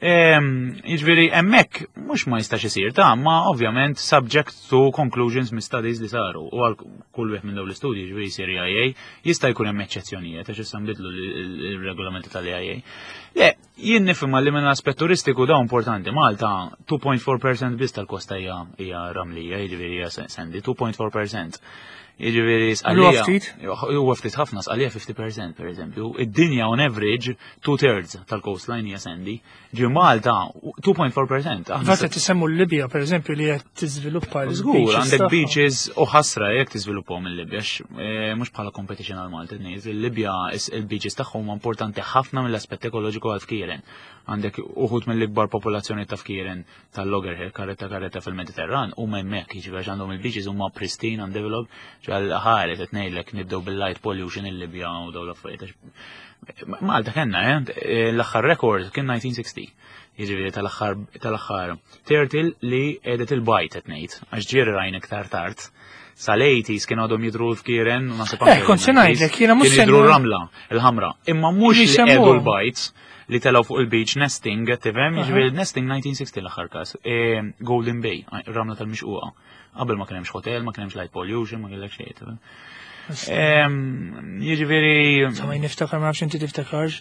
Jiġifieri hemmhekk mhux ma jistax isir ta' ma ovvjament subject to conclusions mis studies li saru u għal kull wieħed minn dawn l-istudji jiġifieri jsir EIA jista' jkun hemm eċċezzjonijiet għax issa nbidlu l-regolamenti tal-EIA. Le, jien nifhimha li minn aspett turistiku dawn importanti Malta 2.4% biss tal-kosta hija ramlija, jiġifieri hija sandy 2.4%. Jiġifieri sqalija. Huwa ftit ħafna sqalija 50% pereżempju. Id-dinja on average two thirds tal-coastline hija sandy. Ġi Malta 2.4%. Fatt qed tisemmu l-Libja pereżempju li qed tiżviluppa l Żgur, għandek beaches u ħasra jekk tiżviluppahom il-Libja, eh, mhux bħala competition għal Malta ngħid, il-Libja il-beaches tagħhom huma importanti ħafna mill-aspett ekoloġiku għal fkieren. Għandek uħud mill-ikbar popolazzjoni ta' fkieren tal-loggerhead, karetta karetta fil-Mediterran, huma hemmhekk, jiġifieri għax għandhom il-beaches huma pristine, undeveloped, ġal ħaret qed ngħidlek nibdew bil-light pollution il-Libja u dawn l-affarijiet. Malta kellna, eh, l-aħħar rekord kien 1960. Jiġifieri tal-aħħar tal-aħħar turtle li qiegħdet il-bajt qed ngħid, għax ġieri rajn iktar tard. Sal-80s kien għadhom jidru l-fkieren, naħseb Eh, kont se ngħidlek, jiena mhux jidru ramla, il-ħamra. Imma mhux li qiegħdu l-bajts li telgħu fuq il-beach nesting, tifhem, jiġifieri nesting 1960 l-aħħar każ. E, Golden Bay, ramla tal-mixquqa. Qabel ma kien hemmx hotel, ma kien hemmx light pollution, ma kellek xejn, tifhem. Jiġifieri. Insomma, niftakar ma nafx inti tiftakarx.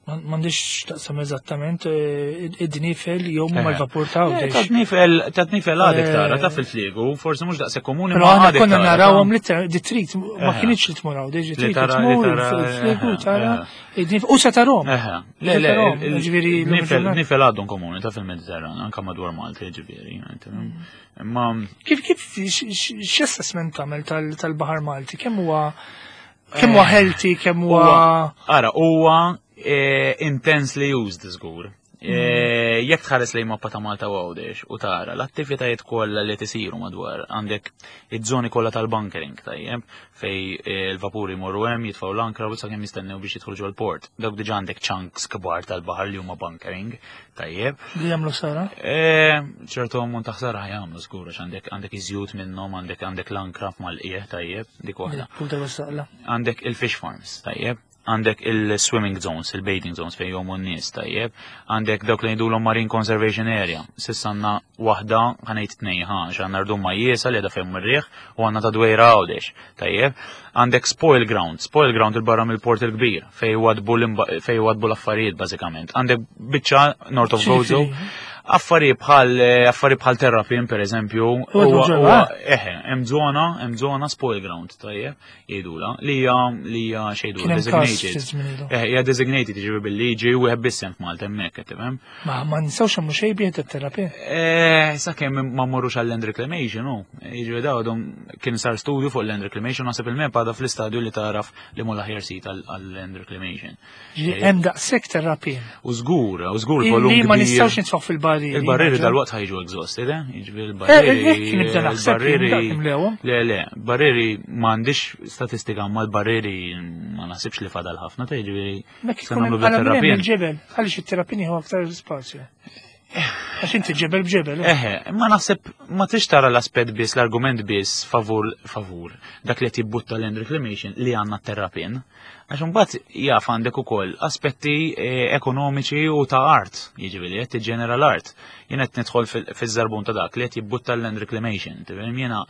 M'għandix taqsam eżattament eh, id-dnifel jew ma l-vapur ta' eh, Ta' dnifel, ta' dnifel għadek tara, ta' fil-fliegu, forsi mhux daqshekk komuni. Però aħna konna narawhom li trid ma kienx li tmur għawdex, trid tmur fil-fliegu tara id-dnifel u se tarhom. Le, le, ġifieri nifel għadhom komuni ta' fil-Mediterran, anke madwar Malta, ġifieri. Imma kif kif x'assessment tagħmel tal-Baħar Malti? Kemm huwa Kemm huwa healthy, kemm huwa. Ara, huwa eh, intensely used żgur. Eh, jekk tħares lejn mappa ta' Malta u Għawdex u tara l-attivitajiet kollha li tisiru madwar għandek iż-żoni kollha tal-bunkering tajjeb fej eh, l-vapuri jmorru hemm jitfgħu l-ankra u sakemm jistennew biex jidħlu ġol-port. Dawk diġà għandek chunks kbar tal-baħar li huma bunkering Tajjeb. Li jagħmlu ħsara? Eh, ċertu ammont ta' ħsara jagħmlu żgur għax għandek għandek iżjut minnhom, għandek għandek l-ankra mal-qiegħ tajjeb, dik waħda. Għandek il-fish farms, tajjeb. Għandek il-swimming zones, il-bathing zones fejn jomu n-nies, tajjeb. Għandek dawk li jgħidulhom Marine Conservation Area. Sissa għandna waħda ħanejt tnej ħa, għax għandna rdum ma jiesa li għadha fejn ir-riħ u għandna ta' dwejra għawdex. Tajjeb, għandek spoil ground, spoil ground il-barra mill-port il-kbir, fej wadbu l-affarijiet bażikament. Għandek biċċa North of Gozo, affarijiet bħal eh, affarijiet bħal terrapin per eżempju, eħe, hemm żona, hemm żona spoil ground, tajjeb, jgħidula, li hija li hija xejdu designated. Eħe, hija designated jiġifieri bil-liġi u wieħed biss hemm f'Malta hemmhekk qed tifhem. Ma ma nistgħux nagħmlu xejn bih it-terapin. Eh, sakemm ma mmorrux għal land reclamation, hu. Jiġifieri daw għadhom kien sar studju fuq land reclamation, naħseb il-mep għadha fl-istadju li taraf li mhu l-aħjar sit għal land reclamation. Eh, hemm daqshekk terapin. U żgur, u żgur volum. Li ma nistgħux nitfgħu fil-barrieri. Il-barrieri dal-waqt ħajġu exhausted, eh? Jiġifieri il-barrieri. Eh, nibda naħseb Le, le, barrieri m'għandix statistika ma l-barrieri ma naħsibx li fadal ħafna, ta' jiġifieri Mek ikun hemm il-ġebel, għaliex it-terapini huwa aktar spazju. Għax inti ġebel b'ġebel. Eh. Eħe, ma naħseb ma tix tara l-aspett biss, l-argument biss favur favur dak li jibbutta land reclamation li għandna terrapin. Għax imbagħad jaf għandek ukoll aspetti eh, ekonomiċi u ta' art, jiġifieri qed tiġġenera l-art. Jien qed nidħol fiż-żarbun ta' dak li qed jibbutta land reclamation. Jiena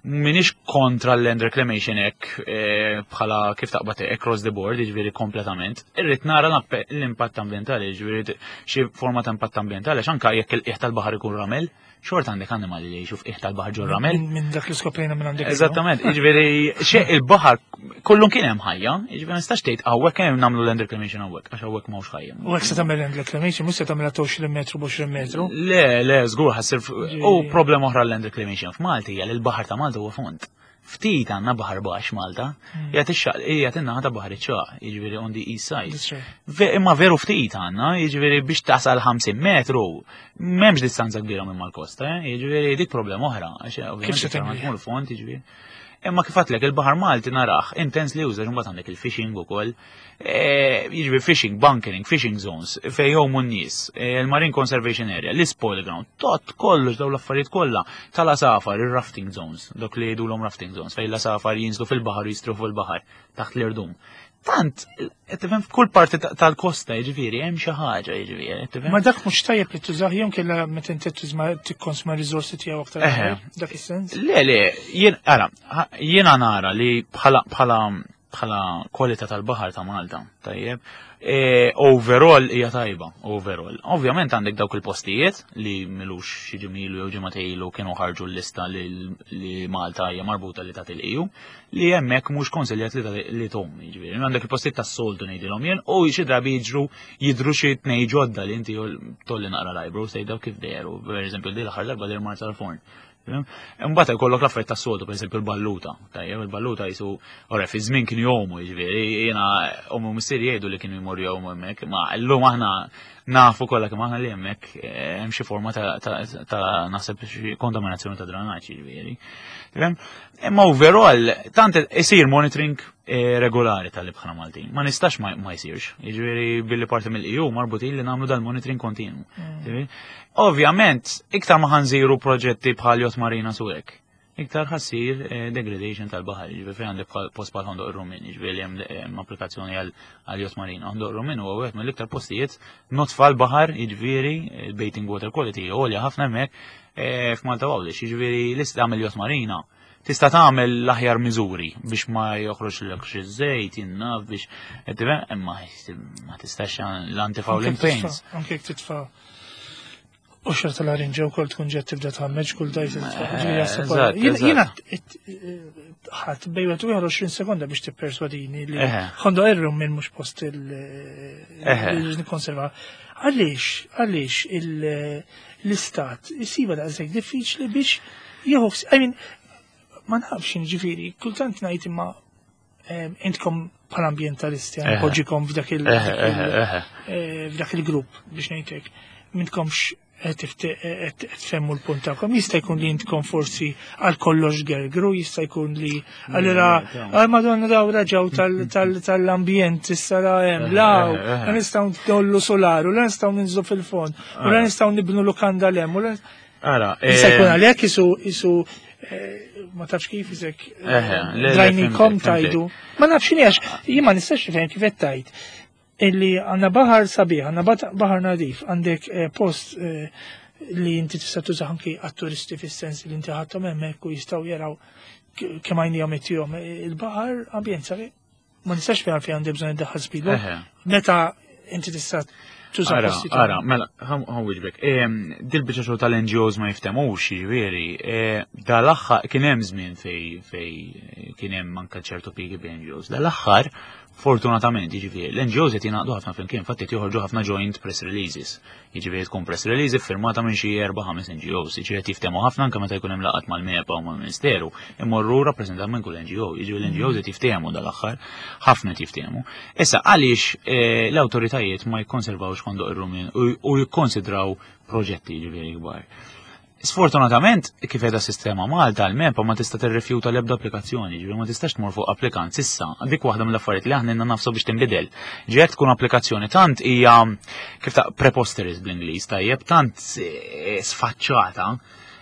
Minix kontra l-land reclamation hekk eh, bħala kif taqbad across the board, jiġifieri kompletament. Irrid nara l-impatt ambjentali, jiġifieri xi forma ta' impatt ambjentali, għax anke jekk il-qiegħ tal-baħar ikun ramel, xorta għandek annimali li jgħixu f'qiegħ tal-baħar ġol ramel. Minn dak li skoprejna minn għandek. Eżattament, jiġifieri xi il-baħar kollu kien hemm ħajja, jiġifieri ma nistax tgħid hawnhekk hemm nagħmlu land reclamation hawnhekk, għax hawnhekk m'hawnx ħajja. U hekk se tagħmel land reclamation, mhux se tagħmilha ta' 20 metru b'20 metru. Le, le, żgur ħassir u problema oħra land reclamation f'Malti hija li l-baħar ta' Malta huwa fond. Ftit għandna baħar baxx Malta, qiegħed ix-xaq qiegħed in-naħa ta' baħar iċ-ċaq, jiġifieri on the east side. Imma veru ftit għandna, jiġifieri biex tasal 50 metru, m'hemmx distanza kbira minn mal-kosta, eh? jiġifieri dik problema oħra, għax ovvjament tmur fond, jiġifieri. Imma kif għatlek il-baħar Malti naraħ intensely uża mbagħad għandek il-fishing ukoll. E, jiġifieri fishing, bunkering, fishing zones, fejn jgħumu n-nies, e, il-Marine Conservation Area, l-spoil ground, tot kollox dawn l-affarijiet kollha tal-asafar, il-rafting zones, dok li jgħidulhom rafting zones, fejn l-asafar jinżlu fil-baħar u jistru fil-baħar taħt l-irdum. Tant, tifhem f'kull parti tal-kosta, jiġifieri, hemm xi ħaġa, jiġifieri, tifhem. Ma dak mhux tajjeb li tużah jew kellha meta inti tużma tikkonsma riżorsi tiegħu aktar. Dak is-sens. Le, le, jien ara, jiena nara li bħala bħala bħala kwalità tal-baħar ta' Malta, tajjeb. E, overall hija tajba, overall. Ovvjament għandek dawk il-postijiet li milux xi ġimilu jew ġimgħa ilu kienu ħarġu l-lista li Malta hija marbuta li tagħti l-EU, li hemmhekk mhux konsiljat li tom, jiġifieri. Għandek il-postijiet tas-soltu ngħidilhom jien u xi drabi jiġru jidru xi tnej ġodda li inti tolli naqra l-eyebrows tgħid kif dehru, per eżempju, di l-aħħar darba der Marsa l-forn. Imbagħad jkollok l-affarijiet tas-soltu, pereżempju l-balluta. Tajjeb, il-balluta jisu, ora fi żmien kienu jgħumu, jiġifieri, jiena ommi u missieri jgħidu li kienu jmorru jgħumu hemmhekk, ma llum aħna nafu kollha kemm aħna li hemmhekk eh, hemm xi forma ta' naħseb xi kontaminazzjoni ta' dranaġġ, jiġifieri. Imma overall, tant isir monitoring eh, regolari tal-ibħra Maltin. Ma nistax ma jsirx. Jiġifieri billi parti mill-EU marbutin li nagħmlu dal-monitoring kontinu. Ovvjament, iktar ma ħanżiru proġetti bħal Yacht Marina Suwek, iktar ħassir eh, degradation tal-baħar, jiġifieri fejn għandek post bħal Ħondoq Rumin, jiġifieri hemm applikazzjoni għal Yacht Marina. Ħondoq Rumin huwa wieħed mill-iktar postijiet notfa l-baħar, jiġifieri il-bathing water quality għolja ħafna hemmhekk eh, f'Malta Għawdex, jiġifieri lista tagħmel Yacht Marina tista' tagħmel l-aħjar miżuri biex ma joħroġ lek xi żejt jinnaf biex imma ma tistax l-antifouling paints. Anke jekk titfa' U xar tal-arinġa u kol tkun ġed tibda tħammeġ kull dajt. Jina ħadd bejwet u 20 sekonda biex tipperswadini li ħondo erru minn mhux post il-konserva. Għaliex, għaliex l-istat jisiba daqshekk diffiċli biex jieħu, I mean, ma nafx ġifieri, kultant ngħid imma intkom bħala ambientalisti, poġġikom f'dak il- f'dak il-grupp biex ngħidlek, m'intkomx qed tfemmu l-punt tagħkom. Jista' jkun li intkom forsi għal kollox gergru, jista' jkun li allura għal madonna daw raġaw tal-ambjent issa la hemm law, la nistgħu ndollu solaru, la nistgħu ninżlu fil-fond, u la nistgħu nibnu lukanda l hemm, u la Ara, Jista' jkun għalhekk isu isu ma tafx kif isek drajnikom tajdu. Ma nafx x'inhi għax jien ma nistax nifhem kif qed tajt illi għandna baħar sabiħ, għandna baħar nadif, għandek post li inti tista' tuża anki għat-turisti fis-sens li inti ħadthom hemmhekk u jistgħu jaraw kemm għajnihom ittihom il-baħar ambjent sabiħ. Ma nistax fejn għalfejn għandi bżonn iddaħħal speedboat. Meta inti tista' tuża Ara, ara, mela, ħan wieġbek. Dil-biċċa xogħol tal-NGOs ma jiftemux, jiġifieri, dal-aħħar kien hemm żmien fej fej kien hemm anke ċertu piki bi NGOs. Dal-aħħar, fortunatament, jiġifieri, l-NGOs qed jingħaqdu ħafna flimkien, infatti qed joħorġu ħafna joint press releases. Jiġifieri tkun press release iffirmata minn xi erba' ħames NGOs, jiġifieri qed jiftehmu ħafna anke meta jkun hemm laqgħat mal-MEPA u mal-Ministeru, imorru rappreżentant minn kull NGO, jiġifieri l-NGOs qed jiftehmu dal-aħħar, ħafna qed jiftehmu. Issa għaliex l-awtoritajiet ma jikkonservawx Ħondoq ir-Rumin u jikkonsidraw proġetti jiġifieri kbar? Sfortunatament, kif qiegħda sistema Malta, l-MEPA ma tista' tirrifjuta l-ebda applikazzjoni, ġifieri ma tistax tmur fuq applikant sissa. Dik waħda mill-affarijiet li aħna nafsu biex tinbidel. Ġiet tkun applikazzjoni tant hija kif ta' preposterous bl-Ingliż tajjeb, tant sfaċċata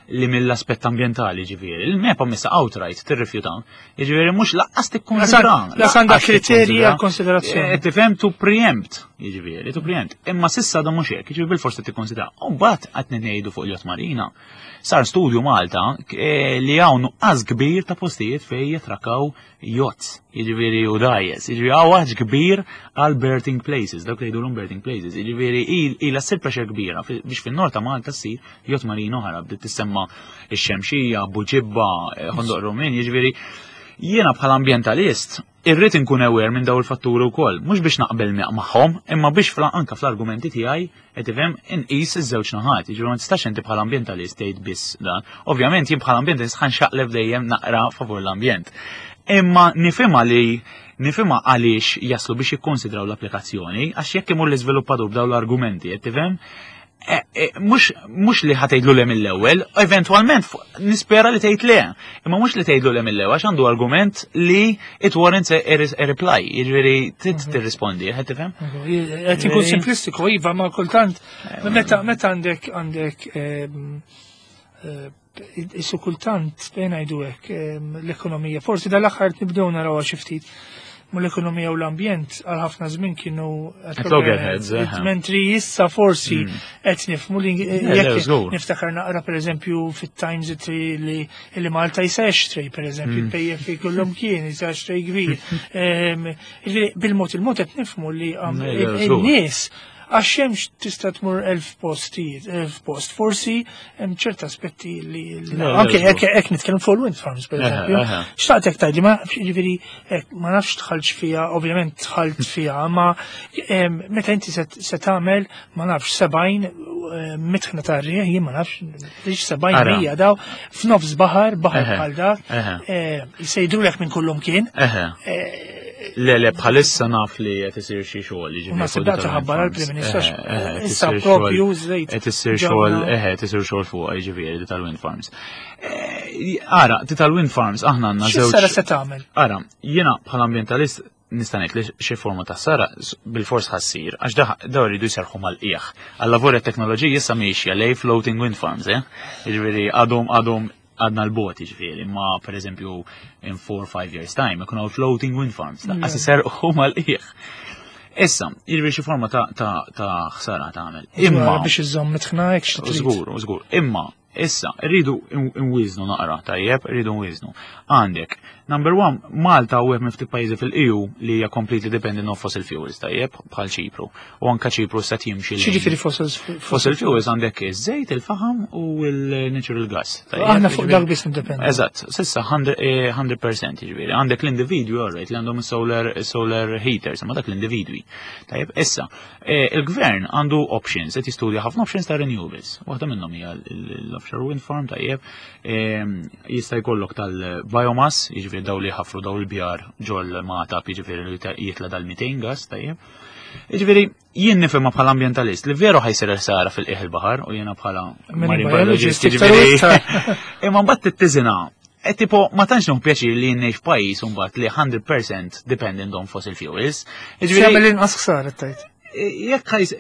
li mill-aspett ambjentali ġifieri. Il-MEPA missa outright tirrifjuta. Ġifieri mhux laqqas tikkonsidra. Las għandha kriterji għal konsiderazzjoni. Tifhem to preempt, jiġifieri, to preempt. Imma sissa da mhux hekk, jiġifieri bil-forsi tikkonsidra. U mbagħad qed ngħidu fuq il-Yacht Marina. Sar studju Malta li hawn nuqqas kbir ta' postijiet fejn jitrakkaw yachts, jiġifieri u dgħajjes, jiġifieri hawn għax kbir għal berthing places, dawk li jgħidulhom berthing places, jiġifieri ilha ssir pressure kbira biex fin-nord ta' Malta ssir yacht marina oħra, bdiet tissemma ix-Xemxija, Buġibba, Ħondoq Rumin, jiġifieri jiena bħala ambjentalist irrid inkun aware minn daw il-fatturi wkoll, mhux biex naqbel magħhom, imma biex anka fl-argumenti tiegħi qed tifhem inqis iż-żewġ naħat, jiġifieri ma tistax inti bħala ambjentalist tgħid biss dan. Ovvjament jien bħala ambjentalist ħanxaqleb dejjem naqra favur l-ambjent. Imma nifhimha li nifhimha għaliex jaslu biex jikkonsidraw l-applikazzjoni, għax jekk imur l-iżviluppatur b'daw l-argumenti, qed tifhem, mhux li ħatejdu le mill-ewwel, eventwalment nispera li tgħid le, imma mhux li tgħidlu le mill-ewwel għax għandu argument li it warrants a reply, jiġifieri trid tirrispondi, qed tifhem? Qed ikun simplistiku, iva, ma kultant meta għandek isu kultant bejn ngħidu hekk l-ekonomija, forsi dal-aħħar nibdew narawha xi ftit. Mal-ekonomija u l-ambjent għal ħafna żmien kienu at loggerheads. Mentri issa forsi qed nifhmu li jekk niftakar naqra pereżempju fit-Times li li Malta jisa xtrej pereżempju il-PFA kollhom kien jisa xtrej kbir. Bil-mod il-mod qed nifhmu li in-nies għax hemmx tista' tmur 1000 postijiet, 1000 post. Forsi hemm ċert aspetti li anke hekk nitkellem fuq il-wind farms pereżempju. Xtaqt hekk tgħidli ma jiġifieri ma nafx tħalx fiha, ovvjament tħalt fiha, ma meta inti se tagħmel ma nafx 70 mitħna ta' rieħ, jien ma nafx lix 70 mija daw f'nofs baħar, baħar bħal dak, se jidrulek minn kullum kien. Le, bħalissa naf li qed isir xi xogħol, jiġifieri. Naħseb dak ħabbar għall-Prim Ministru. Issa propju żejt. Qed isir xogħol, eħe, qed isir xogħol fuq jiġifieri di tal-wind farms. Ara, di tal-wind farms aħna għandna żewġ. X'sara se tagħmel? Ara, jiena bħala ambjentalist nista' ngħid li xi forma ta' sara bil-fors ħassir, għax daw iridu jserħu mal-qiegħ. Għal-lavori teknoloġiji issa miexja lej floating wind farms, eh? Jiġifieri għadhom għadhom għadna l-bot ġifieri, ma per eżempju in 4-5 years time ikun hawn floating wind farms, laqqas iserħu mal-qiegħ. Issa, jiġifieri xi forma ta' ħsara tagħmel. Imma biex iżomm mitħna hekk xi Żgur, żgur. Imma issa rridu nwiżnu naqra, tajjeb, rridu nwiżnu. Għandek, number one, Malta u minn ftit pajjiżi fil-EU li hija completely dependent on fossil fuels, tajjeb, bħal Ċipru. U anka Ċipru se jimxi. X'jiġifieri fossil Fossil fuels għandek iż-żejt, il-faħam u l-natural gas. Aħna fuq dak biss nindependu. Eżatt, s'issa 100% jiġifieri. Għandek l-individwi, alright, li għandhom solar heaters, ma dak l-individwi. Tajjeb, issa, il-gvern għandu options, qed jistudja ħafna options ta' renewables. Waħda minnhom hija l-offshore wind farm, tajjeb. Jista' jkollok tal-biomass, jiġifieri daw li ħafru daw il-bjar ġol mata, jiġifieri li jitla dal-methane gas, tajjeb. Jiġifieri, jien nifhimha bħala ambjentalist li veru ħajsir ħsara fil-qiegħ il-baħar u jiena bħala marine biologist, jiġifieri. Imma mbagħad tittiżina. E tipo, ma tantx nieħu pjaċir li jien ngħix f'pajjiż mbagħad li 100% dependent on fossil fuels. Jiġifieri jagħmel inqas ħsara tgħid. Jekk ħajs,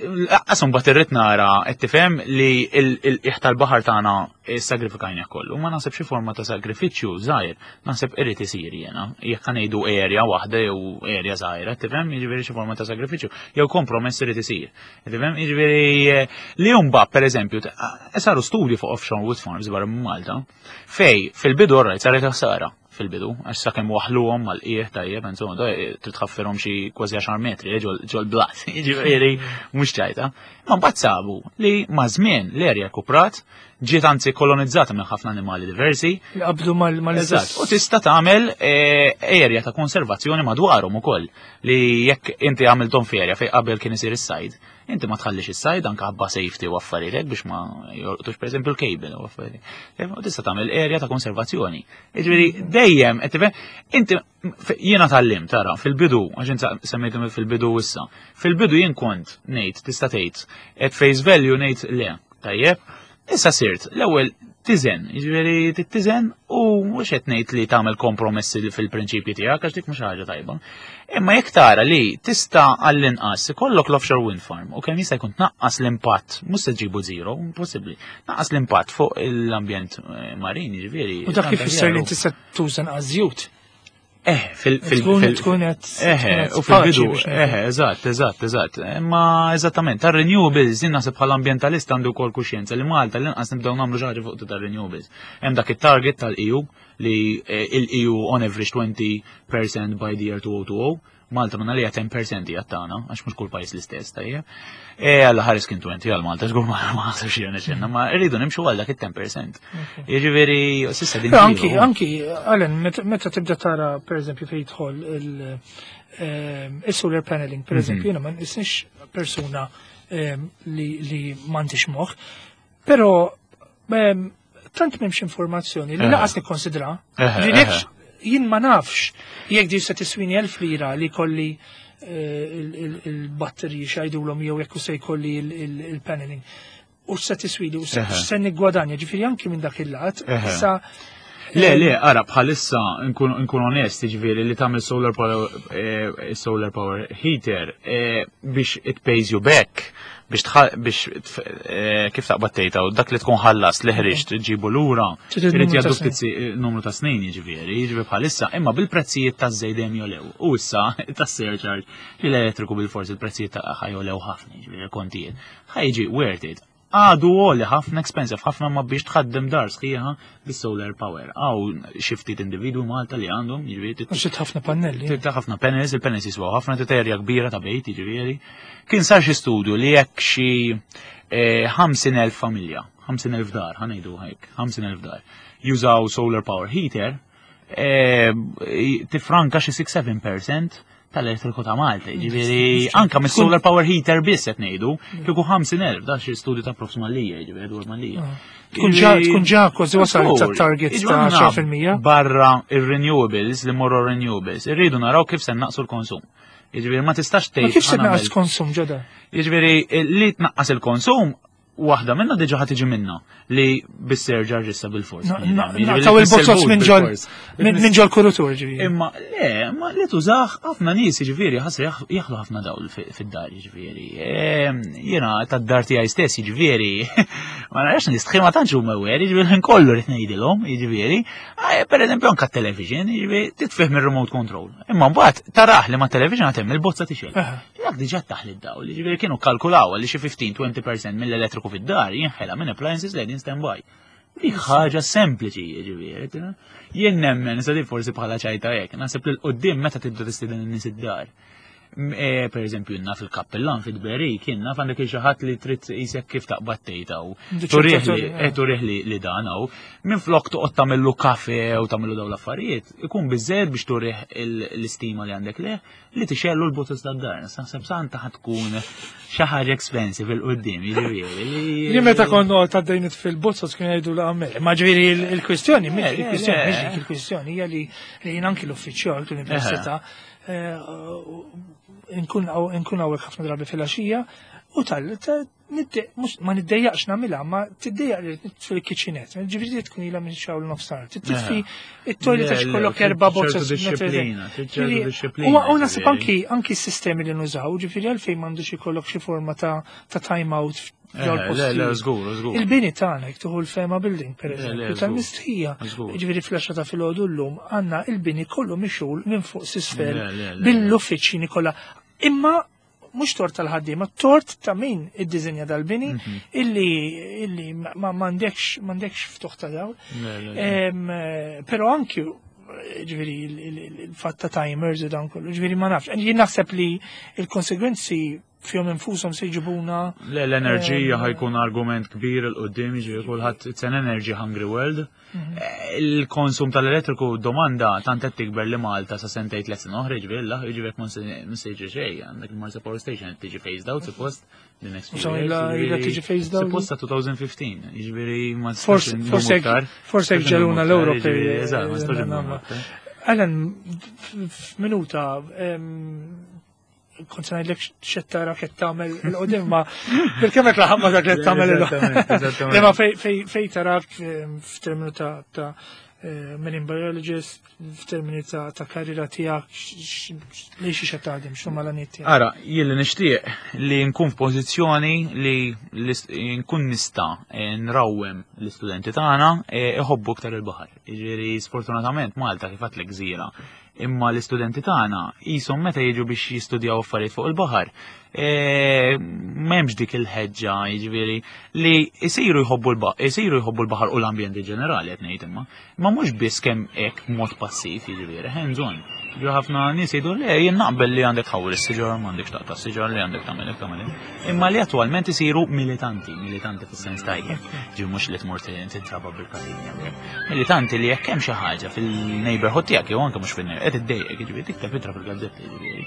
qasum mbagħad irrid nara qed tifhem li l-qiegħ tal-baħar tagħna sagrifikajna kollu, ma naħseb xi forma ta' sagrifiċċju żgħir, naħseb irid isir jiena. Jekk ngħidu area waħda jew area żgħira, tifhem, jiġifieri xi forma ta' sagrifiċċju, jew kompromess irid isir. Tifhem, jiġifieri li mbagħad pereżempju saru studji fuq offshore wind farms barra minn Malta, fej fil-bidu rajt saret ħsara fil-bidu, għax sakemm waħluhom mal-qiegħ tajjeb, insomma, trid tħaffirhom xi kważi 10 metri ġol blat, jiġifieri mhux ċajta. Ma mbagħad sabu li ma' żmien l-erja kuprat ġiet anzi kolonizzata minn ħafna animali diversi. Li qabdu mal-istess. U tista' tagħmel erja ta' konservazzjoni madwarhom ukoll li jekk inti għamilthom f'erja fejn qabel kien isir is-sajd, inti ma tħallix is-sajd anke ħabba safety u affarijiet biex ma jolqtux pereżempju l-cable u affarijiet. U tista' tagħmel erja ta' konservazzjoni. Jiġifieri dejjem qed tifhem inti jiena tgħallimt tara fil-bidu għax int semmejtu fil-bidu issa. Fil-bidu jien kont ngħid tista' tgħid at face value ngħid le, tajjeb. Issa sirt l-ewwel tiżen, jiġifieri tittiżen u mhux qed ngħid li tagħmel kompromessi fil-prinċipji tiegħek għax dik mhux ħaġa tajba. Imma jekk tara li tista' għall-inqas ikollok l-offshore wind farm u kemm jista' jkun tnaqqas l-impatt, mhux se ġibu zero, impossibbli, naqqas l-impatt fuq l-ambjent marin, jiġifieri. U dak kif ifisser li inti se tuża nqas żjut? Tkun qed u fil-bidu, eżatt, eżatt, eżatt. Imma eżattament, tar-renewables, jien naħseb bħala ambjentalist għandu wkoll kuxjenza li Malta l-inqas nibdew nagħmlu xi ħaġa fuq tar-renewables. Hemm dak it-target tal-EU li il-EU on average 20% by the year 2020, Malta minna li 10% hija tagħna, għax mhux kull pajjiż l-istess, tajjeb. E għalla ħares kien 20 għal Malta, żgur ma ħasibx jiena xenna, ma rridu nimxu għal dak it-10%. Jiġifieri s'issa din. Anki, anki, Alan, meta tibda tara pereżempju fejn jidħol il-solar paneling, pereżempju, jiena ma nisnix persuna li m'għandix moħħ, però tant m'hemmx informazzjoni li laqas nikkonsidra. Jien ma nafx jekk di se tiswini 1000 lira li kolli il-batterji xajdulhom jew jekk se jkolli il-paneling. U se tiswili u se niggwadanja, ġifieri anki minn dak il-lat. Issa Le, le, ara, bħalissa nkun onest, ġifieri li tagħmel solar power, eh, solar power heater eh, biex it pays you back biex biex eh, kif taqbad tgħidha u dak li tkun ħallas li ħriġt ġibu lura irid jgħaddu ftit numru ta' snin jiġifieri, jiġifieri bħalissa, imma bil-prezzijiet taż-żejt dejjem jolew. U issa tas-surcharge li l-elettriku bil-forsi il-prezzijiet ta' ħajolew ħafna, jiġifieri kontijiet. Ħajġi worth it. Għadu għoli ħafna expensive ħafna ma biex tħaddem dar sħiħa bis-solar power. Għaw xi ftit individwi Malta li għandhom, jiġifieri. Għax ħafna pannelli. Trid ħafna panels, il-panels jiswaw ħafna titerja kbira ta' bejt, jiġifieri. Kien sar xi studju li jekk xi 50,000 eh, familja, 50,000 dar, ħanejdu hekk, 50,000 dar, jużaw solar power heater, eh, tifranka xi 6-7% tal-elettriku ta' Malta, ġifieri anka mis solar power heater biss qed ngħidu, kieku 50,000 da xi studju ta' Prof. Malija, ġifieri dwar Malija. Ah. Tkun ġa kważi wasal ta' target ta' 10%. Barra ir-renewables li morru renewables, irridu naraw kif se naqsu l-konsum. Jiġifieri ma tistax tgħid. Ma kif se tnaqqas konsum ġodda? Jiġifieri li tnaqqas il-konsum waħda minna diġa ħad tiġi minna li bis-surcharge issa bil-fors. Naqtaw il-bozzos minn ġol minn ġol kurutur ġifieri. Imma le, ma li tużax ħafna nies jiġifieri ħasra jaħlu ħafna dawl fid-dar jiġifieri. Ehm, jiena tad-dar tiegħi stess jiġifieri ma narax nistħi ma tantx huma wer, jiġifieri ħin kollu rid ngħidilhom jiġifieri. Eh, per eżempju anke t-television, jiġifieri titfih mir-remote control. Imma mbagħad taraħ li ma' television għatem il-bozza tixel. Dak diġà taħli d-dawl, jiġifieri kienu kalkulaw li xi 15-20% mill-elettriku fid-dar jinħela minn appliances li qegħdin standby. Dik ħaġa sempliċi, jiġifieri. Jien nemmen, sa forsi bħala ċajta hekk, naħseb li l-qudiem meta tibda tistieden in-nies id-dar. E, per eżempju, naf il-kappellan fid-beri, kien naf għandek xi ħadd li trid isek kif taqbad tgħid hawn. Turih li e, li dan hawn. Minn flok toqgħod tagħmillu kafe u tagħmillu dawn l-affarijiet, ikun biżżejjed biex turih l-istima li għandek leh li tixellu l-botus tad-dar. Naħseb santa ħad tkun xi ħaġa expensive il-qudiem, jiġifieri. Li meta konna għaddejn fil-botus kien jgħidu la għamel. Ma ġifieri il-kwistjoni, mhix il-kwistjoni, mhix dik il-kwistjoni hija li jien anki l-uffiċjal tal-università eh, nkun hawnhekk ħafna drabi fil-għaxija u tal ma niddejjaqx nagħmilha, ma tiddejjaq li nitfi l-kitchenette. Ġifieri tkun ilha minn xawl nofsar. Titfi it-toilet għax kollok erba' boxes. U naħseb anki anki s-sistemi li nużaw, ġifieri għalfejn m'għandux ikollok xi forma ta' time out Il-bini tagħna jekk tieħu l-Fema Building pereżempju tal-mistħija. Ġifieri fl ta' filgħodu llum għandna il-bini kollu mixul minn fuq s'isfel bil-uffiċini kollha. Imma mhux tort tal-ħaddiema, tort ta' min iddiżinja dal-bini mhm. illi illi ma m'għandekx m'għandekx ftuħ ta' dawl. Però anki ġifieri il-fatt ta' timers u dan kollu, ġifieri ma nafx. Jien naħseb li il-konsegwenzi fihom infushom se jġibuna. Le l-enerġija ħajkun argument kbir il-qudiem, ġifieri kulħadd it's an energy hungry world. Mhm. Il-konsum tal-elettriku domanda tant qed tikber li Malta sa sentejn tliet sena oħra jiġifieri la jiġifieri ma se jiġri xejn għandek il-Marsa Power Station qed tiġi phased out suppost the next few years. Ila tiġi phased out. Suppost sa 2015, jiġifieri ma Forse forse ġeluna l-Ewropej. Eżatt, ma tistax. Alan, f'minuta, kont se ngħidlek x'qed tara qed tagħmel il-qudiem ma bil-kemm qed laħam ma dak li qed tagħmel il Imma fej tarak f'terminu ta' ta' eh, marine biologist, f'termini ta' ta' karriera tiegħek li xi qed taħdem, x'huma l-għaniet tiegħek. Ara, jien li nixtieq li nkun f'pożizzjoni li nkun nista' eh, nrawwem l-istudenti tagħna eh, iħobbu iktar il-baħar. Jiġifieri sfortunatament Malta kif għedtlek gżira Imma l-istudenti tagħna qishom meta jiġu biex jistudjaw affarijiet fuq il-baħar, e, m'hemmx dik il-ħeġġa jiġifieri li jsiru jħobbu l-baħar, jsiru jħobbu l-baħar u l-ambjent ġenerali qed ngħid imma. Ma mhux biss kemm hekk mod passiv jiġifieri, hands on. Ġo ħafna nies jgħidu le jien naqbel li għandek tħawwel is-siġar, m'għandekx taqta' s-siġar li għandek tagħmel hekk tagħmel hekk. Imma li attwalment isiru militanti, militanti fis-sens tajjeb, ġi mhux li tmur tintraba bil-katina. Militanti li jekk hemm xi ħaġa fil-neighborhood tiegħek jew anke mhux fil-neighborhood, qed iddejjek, jiġifieri tikteb ittra fil-gazzetti jiġifieri.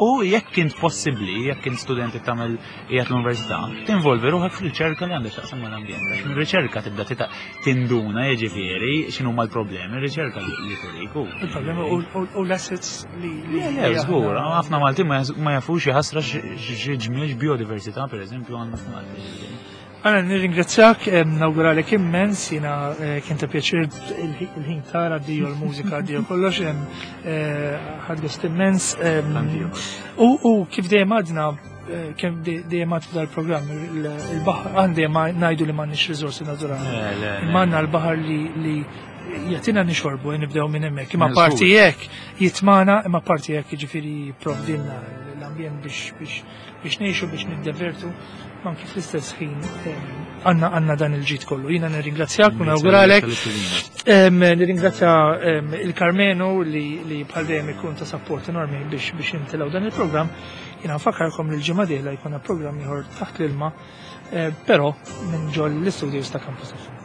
U jekk kint possibbli, jekk kint studenti tagħmel qiegħed l-università, tinvolvi ruħek fil-riċerka li għandek x'taqsam mal-ambjent. Għax mir-riċerka tibda tinduna jiġifieri x'inhuma l-problemi, ir-riċerka li turik. Il-problemi u l-assets li. Le, le, żgur, ħafna Maltin ma jafux jħassra xi ġmiel biodiversità pereżempju għandna f'Malta. Għana nirringrazzjak, nawguralek immens, jina eh, kien ta' pjaċir il-ħin tara dio l-mużika dio kollox, eh, ħad gost immens. U kif dejjem għadna, eh, kif dejjem għad f'dal-programm, il-baħar, għan dejjem ngħidu li m'għandniex riżorsi naturali. Imma għandna l-baħar li jagħtina nixorbu, nibdew minn hemmhekk. Imma parti hekk jitmana, imma parti hekk jiġifieri jipprovdilna l-ambjent biex biex ngħixu biex niddevertu, ma anki fl-istess ħin għandna għandna dan il-ġid kollu. Jiena nirringrazzjak u nawguralek. Nirringrazzja il-Karmenu li li bħal dejjem ikun ta' support enormi biex biex intilgħu dan il-programm. Jiena nfakkarkom li l-ġimgħa dieħla jkollna programm ieħor taħt l-ilma, eh, però minn ġol l-istudios ta' Campus FM.